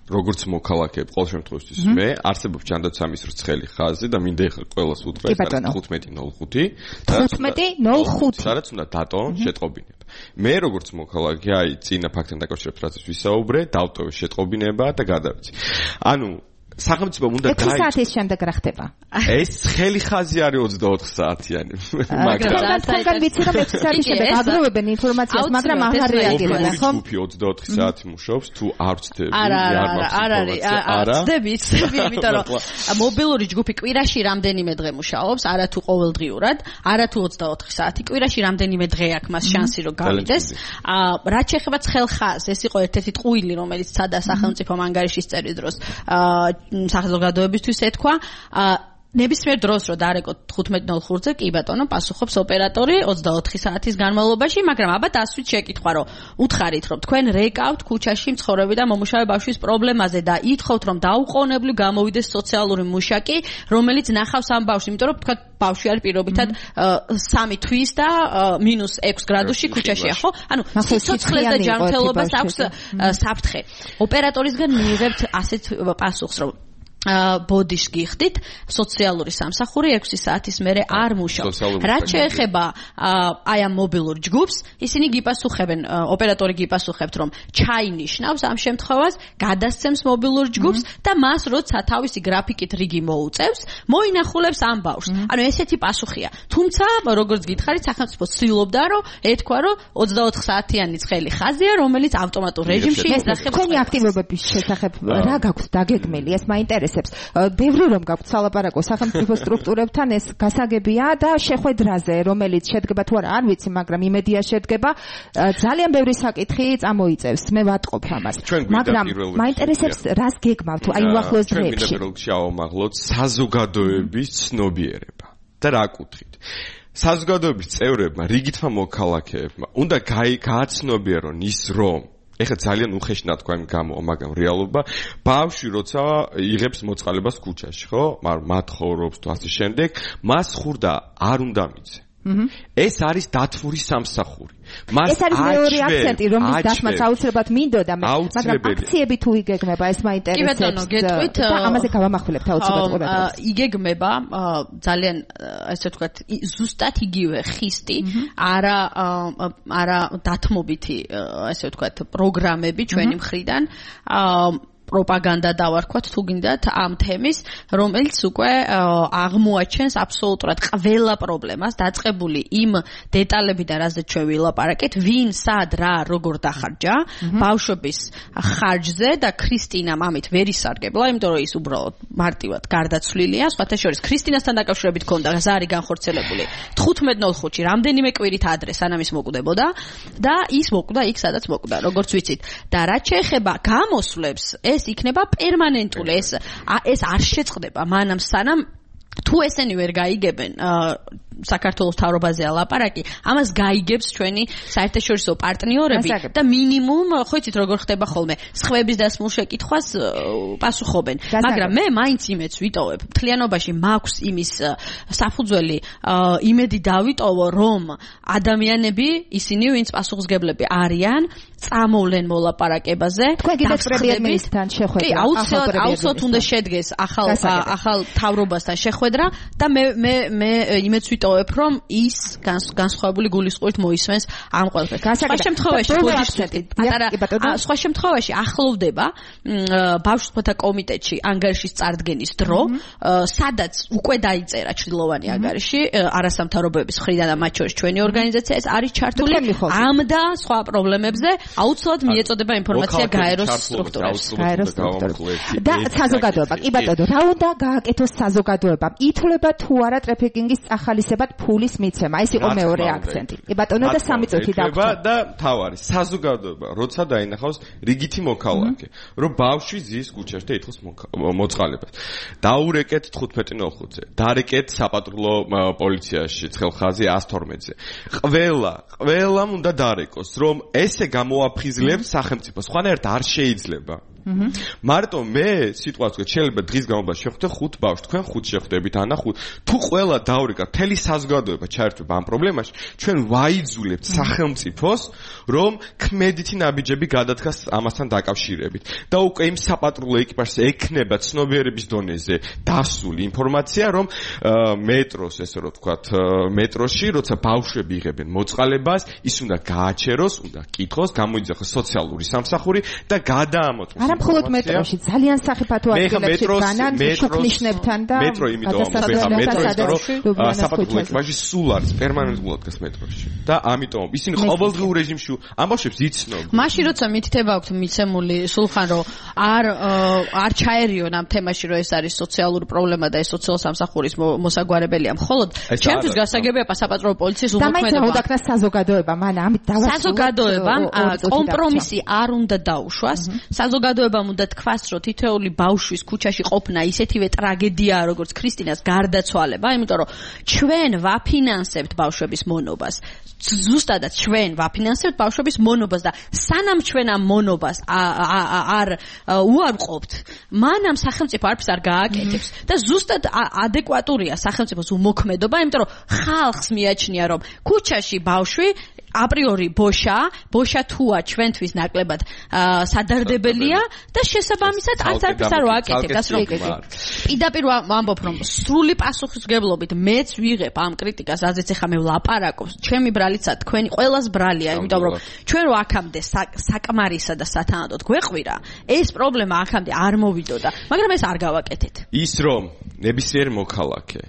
როგორც მოქალაქეები, ყოველ შემთხვევაში მე არსებობს ჯანდაცემის რცხელი ხაზი და მინდა ეხლა ყველას უთხრა 15:05. 15:05. სადაც უნდა დატოვონ შეტყობინება. მე როგორც მოქალაქე, აი, წინა ფაქტთან დაკავშირებით რაც ვისაუბრე, დავტოვე შეტყობინება და გადავიცი. ანუ სახელმწიფომ უნდა 6 საათის შემდეგ რა ხდება? ეს ცხელი ხაზი არის 24 საათიანი. მაგრამ თქვენ ვიცი რომ 6 საათის შემდეგ აგროვებენ ინფორმაციას, მაგრამ აღარ რეაგირებენ, ხო? ჯგუფი 24 საათი მუშაობს, თუ არ ვწდები, არა, ვწდები, იმიტომ რომ მობილური ჯგუფი კვირაში რამდენიმე დღე მუშაობს, არა თუ ყოველდღიურად, არა თუ 24 საათი, კვირაში რამდენიმე დღე აქვს მას შანსი რომ გავიდეს. რაც შეეხება ცხელ ხაზს, ეს იყო ერთ-ერთი ტყუილი, რომელიც ცადა სახელმწიფომ ანგარიშის წერის დროს სახელმწიფოებისთვის ეთქვა ნებისმიერ დროს რომ დარეკოთ 15:05-ზე კი ბატონო პასუხობს ოპერატორი 24 საათის განმავლობაში, მაგრამ აბა დასვით შეკითხვა რომ უთხარით რომ თქვენ რეკავთ ქუჩაში მცხოვრები და მომუშავე ბავშვის პრობლემაზე და ითხოვთ რომ დაუყოვნებლივ გამოვიდეს სოციალური მუშაკი, რომელიც ნახავს ამ ბავშვს, იმიტომ რომ თქვა ბავშვი არის პირობითად 3 თვის და -6 გრადუსში ქუჩაშია, ხო? ანუ სიცოცხლეს და ჯანმრთელობას აქვს საფრთხე. ოპერატორისგან მიიღებთ ასეთ პასუხს რომ ბოდიშ გიხდით სოციალური სამსახური 6 საათის მერე არ მუშაობს. რაც შეეხება აი ამ მობილურ ჯგუფს, ისინი გიპასუხებენ, ოპერატორი გიპასუხებთ, რომ ჩაინიშნავს ამ შემთხვევას, გადასცემს მობილურ ჯგუფს და მას როცა თავისი გრაფიკით რიგი მოუწევს, მოინახულებს ამ ბავშვს. ანუ ესეთი პასუხია. თუმცა, როგორც გითხარით, სახელმწიფო ცდილობდა, რომ ეთქვა, რომ 24 საათიანი ცხელი ხაზია, რომელიც ავტომატურ რეჟიმში ისახებს. თქვენი აქტივობების შესახებ რა გაქვთ დაგეგმილი? ეს მაინტერესებს. ბევრი რომ გაქვთ სალაპარაკო სახელმწიფო სტრუქტურებთან, ეს გასაგებია და შეხვედრაზე, რომელიც შედგება თუ არა, არ ვიცი, მაგრამ იმედია შედგება, ძალიან ბევრი საკითხი წამოიწევს. მე ვატყობ ამას. მაგრამ მაინტერესებს რას გეგმავთ აი უახლოეს დღეებში. ჩვენ ვიდრე შევამაღლოთ საზოგადოების ცნობიერება. და რა კუთხით? საზოგადოების წევრებმა, რიგითმა მოქალაქეებმა უნდა გააცნობიერონ ის, რომ ეხლა ძალიან უხეშნად თქვა იმ გამო, მაგრამ რეალობა ბავშვი როცა იღებს მოწყალებას ქუჩაში, ხო? მათ ხოვრობს თუ ასე შემდეგ, მას ხურდა არ უნდა მიცე. ეს არის დათვური სამსახური. ეს არის მეორე აქცენტი, რომლის დასმაც აუცილებლად მინდოდა, მაგრამ აქციები თუ იგეგმება, ეს მაინტერესებს. კი ბატონო, გეტყვით და ამაზე გავამახვილებთ აუცილებლად ყურადღებას. იგეგმება ძალიან ესე ვთქვათ, ზუსტად იგივე ხისტი, არა დათმობითი ესე ვთქვათ, პროგრამები ჩვენი მხრიდან პროპაგანდა დავარქვათ თუ გინდათ ამ თემის, რომელიც უკვე აღმოაჩენს აბსოლუტურად ყველა პრობლემას, დაწყებული იმ დეტალებიდან, რაზეც ჩვენ ვილაპარაკეთ, ვინ, სად, რა, როგორ დახარჯა ბავშვების ხარჯზე და ქრისტინამ ამით ვერ ისარგებლა, იმიტომ რომ ის უბრალოდ მარტივად გარდაცვლილია. სხვათა შორის ქრისტინასთან დაკავშირებით ქონდა ზარი განხორციელებული 15:05-ში რამდენიმე კვირით ადრე, სანამ ის მოკვდებოდა და ის მოკვდა იქ, სადაც მოკვდა, როგორც ვიცით. და რაც შეეხება გამოსვლებს, ეს იქნება პერმანენტული, ეს არ შეწყდება მანამ სანამ თუ ესენი ვერ გაიგებენ საქართველოს თავრობაზეა ლაპარაკი, ამას გაიგებს ჩვენი საერთაშორისო პარტნიორები და მინიმუმ, ხო იცით როგორ ხდება ხოლმე, სხვების დასმულ შეკითხვას პასუხობენ. მაგრამ მე მაინც იმედს ვიტოვებ, მთლიანობაში მაქვს იმის საფუძველი, იმედი დავიტოვო, რომ ადამიანები, ისინი ვინც პასუხისმგებლები არიან, წამოვლენ მოლაპარაკებაზე. თქვენ კიდევ პრემიერ-მინისტრთან შეხვედრა. კი, აუცილებლად უნდა შედგეს ახალ თავრობასთან შეხვედრა და მე იმედს ვიტოვებ, რომ ის განსხვავებული გულისწყობით მოისმენს ამ ყველაფერს. სხვა შემთხვევაში ახლოვდება ბავშვთა კომიტეტში ანგარიშის წარდგენის დრო, სადაც უკვე დაიწერა ჩრდილოვანი ანგარიში არასამთავრობოების მხრიდან და მათ შორის ჩვენი ორგანიზაცია ეს არის ჩართული ამ და სხვა პრობლემებზე. აუცილებლად მიეწოდება ინფორმაცია გაეროს სტრუქტურებს. და საზოგადოება, კი ბატონო, რა უნდა გააკეთოს საზოგადოებამ? ითვლება თუ არა ტრაფიკინგის წახალისებად ფულის მიცემა? ეს იყო მეორე აქცენტი. კი ბატონო, და 3 წუთი დაგვჭირდა. და თავარი საზოგადოება, როცა დაინახავს რიგითი მოქალაქე, რომ ბავშვი ზის ქუჩაში და ითხოვს მოწყალებას. დაურეკეთ 15:05-ზე, დარეკეთ საპატრულო პოლიციაში, ცხელხაზი 112-ზე. ყველამ უნდა დარეკოს, რომ ესე გამოაფხიზლებთ სახელმწიფოს, სხვანაირად არ შეიძლება. მარტო მე სიტუაცია შეიძლება დღის განმავლობაში შეხვდე 5 ბავშვს, თქვენ 5 შეხვდებით, ანა 5. თუ ყველა დაურეკა, მთელი საზოგადოება ჩაერთვება ამ პრობლემაში, ჩვენ ვაიძულებთ სახელმწიფოს, რომ ქმედითი ნაბიჯები გადადგას ამასთან დაკავშირებით. და უკვე იმ საპატრულო ეკიპაჟს ექნება ცნობიერების დონეზე დასული ინფორმაცია, რომ მეტროს, ესე რომ ვთქვათ, მეტროში, როცა ბავშვები იღებენ მოწყალებას, ის უნდა გააჩეროს, უნდა კითხოს, გამოიძახოს სოციალური სამსახური და გადაამოწმოს. მხოლოდ მეტროში ძალიან სახიფათო ადგილებში განან შოქნიშნებთან და მეტრო იმიტომ საპატრულო ეკიპაჟი სულ არის პერმანენტულად დგას მეტროში და ამიტომ ისინი ყოველდღიურ რეჟიმში ამბავშვებს იცნობენ. მაშინ როცა მითითება აქვს მიცემული სულხან რომ არ ჩაერიონ ამ თემაში რომ ეს არის სოციალური პრობლემა და ეს სოციალურ სამსახურის მოსაგვარებელია მხოლოდ ჩემთვის გასაგებია საპატრულო პოლიციის უმოქმედება. და მაინც საზოგადოება მან ამით დავასრულოთ. საზოგადოებამ კომპრომისი არ უნდა დაუშვას. საზოგადოებამ უნდა თქვას, რომ თითოეული ბავშვის ქუჩაში ყოფნა ისეთივე ტრაგედიაა, როგორც ქრისტინას გარდაცვალება, იმიტომ რომ ჩვენ ვაფინანსებთ ბავშვების მონობას. ზუსტადად ჩვენ ვაფინანსებთ ბავშვების მონობას და სანამ ჩვენ ამ მონობას არ უარყოფთ, მანამ სახელმწიფო არაფერს არ გააკეთებს და ზუსტად ადეკვატურია სახელმწიფოს უმოქმედობა, იმიტომ რომ ხალხს მიაჩნია, რომ ქუჩაში ბავშვი აპრიორი ბოშა თუა ჩვენთვის ნაკლებად სადარდებელია და შესაბამისად არც არ ვაკეთებ ასე რომ პირდაპირ ვამბობ რომ სრული პასუხისმგებლობით მეც ვიღებ ამ კრიტიკას რაზეც ახლა მე ვლაპარაკობ ჩემი ბრალიცა თქვენი ყველას ბრალია იმიტომ რომ ჩვენ რო აქამდე საკმარისა და სათანადოდ გვეყვირა ეს პრობლემა აქამდე არ მოვიდოდა მაგრამ ეს არ გავაკეთეთ ის რომ ნებისმიერ მოქალაქე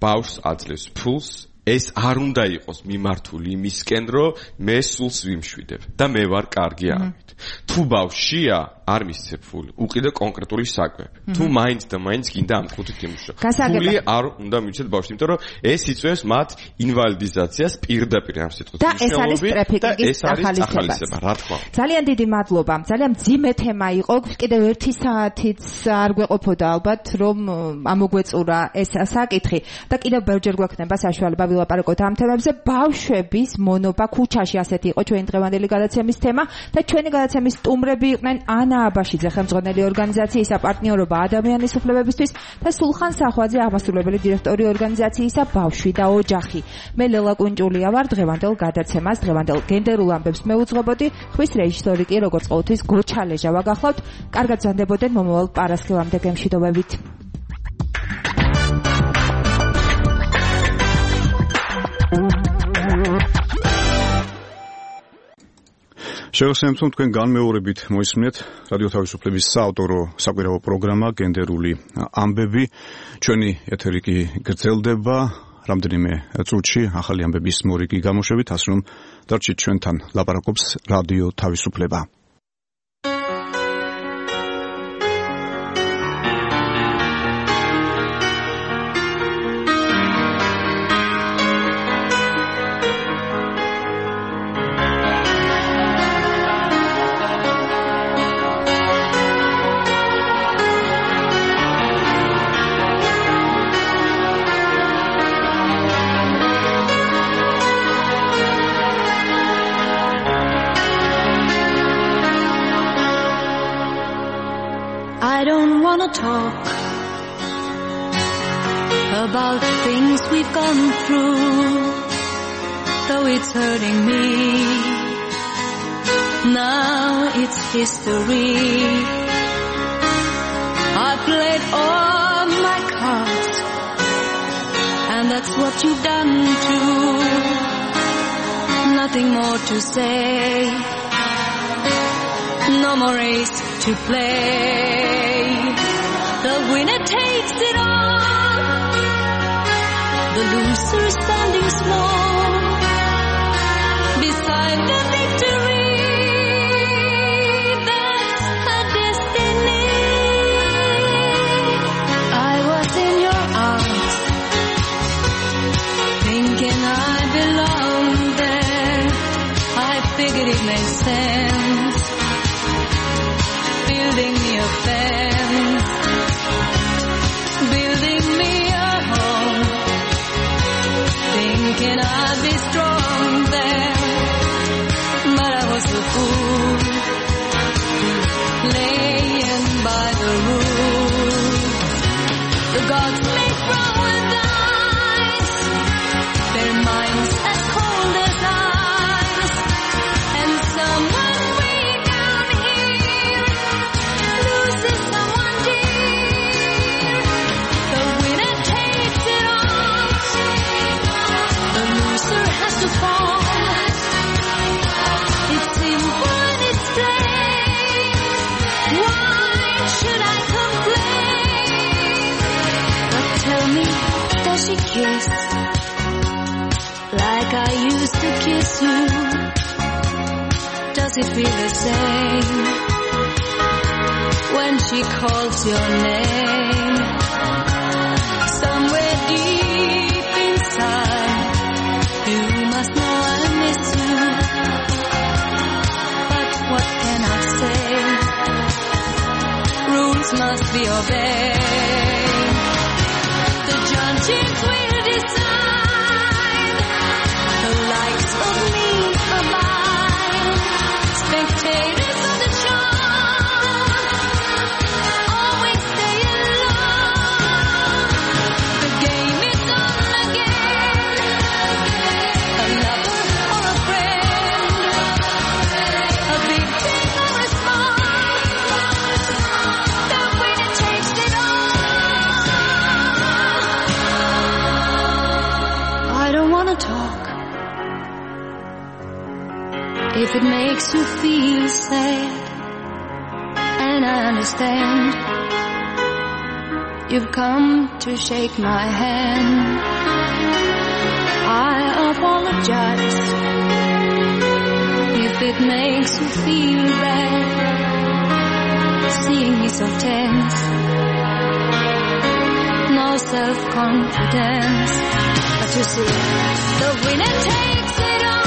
ბავშვს აძლევს ფულს ეს არ უნდა იყოს მიმართული იმისკენ რომ მე სულს ვიმშვიდებ და მე ვარ კარგი ამით თუ ბავშვია არ მისცემ ფული უყიდე კონკრეტული საკვები თუ მაინც და მაინც გინდა ამ ხუთით იმუშავა ფული არ უნდა მივცეთ ბავშვს იმიტომ რომ ეს იწვევს მათ ინვალიდიზაციას პირდაპირ ამ სიტყვით და ეს არის ტრაფიკინგის ახალისება რა თქმა უნდა ძალიან დიდი მადლობა ძალიან მძიმე თემა იყო კიდევ 1 საათიც არ გვეყოფოდა ალბათ რომ ამოგვეწურა ეს საკითხი და კიდევ ბევრჯერ გვექნება საშუალება ვილაპარაკოთ ამ თემებზე ბავშვების მონობა ქუჩაში ასეთი იყო ჩვენი დღევანდელი გადაცემის თემა და ჩვენი გადაცემის სტუმრები იყვნენ ანა აბაშიძე ხელმძღვანელი ორგანიზაციისა პარტნიორობა ადამიანის უფლებებისთვის და სულხან სახვაძე აღმასრულებელი დირექტორი ორგანიზაციისა ბავშვი და ოჯახი მე ლელა კუნჭულია ვარ დღევანდელ გადაცემას დღევანდელ გენდერულ ამბებს მე უძღვებოდი ხვის რეჟისორი კი როგორც ყოველთვის გოჩალეჟა ვაგახლავთ კარგად ზანდებოდეთ მომავალ პარასკევამდე გემშვიდობებით შევასრულებთ თქვენ განმეორებით მოისმინეთ რადიო თავისუფლების საავტორო საკვირაო პროგრამა გენდერული ამბები ჩვენი ეთერი კი გრძელდება რამდენიმე წუთში ახალი ამბების მორიგი გამოშვებით ასე რომ დარჩით ჩვენთან ლაპარაკობს რადიო თავისუფლება Talk about things we've gone through, though it's hurting me. Now it's history. I played all my cards, and that's what you've done too. Nothing more to say, no more race to play. The winner takes it all, the loser standing small beside the victory. That's her destiny. I was in your arms, thinking I belonged there. I figured it made sense, building me a fence, building me a home, thinking I'd be strong there, but I was a fool, laying by the rules. The gods make flowers eyes, their minds as cold as ice, and someone way down here loses someone dear. The winner takes it all, the loser has to fall. It's simple and it's plain. Why should I complain? But tell me, does she kiss like I used to kiss you? Does it feel the same when she calls your name? Somewhere deep inside, you must know I miss you. But what can I say? Rules must be obeyed. The judges will decide. The likes of me are mine. Spectators of the show always stay alone. The game is on again. A lover or a friend, If it makes you feel sad, and I understand, you've come to shake my hand. I apologize if it makes you feel bad, seeing me so tense, no self-confidence. But you see, the winner takes it all.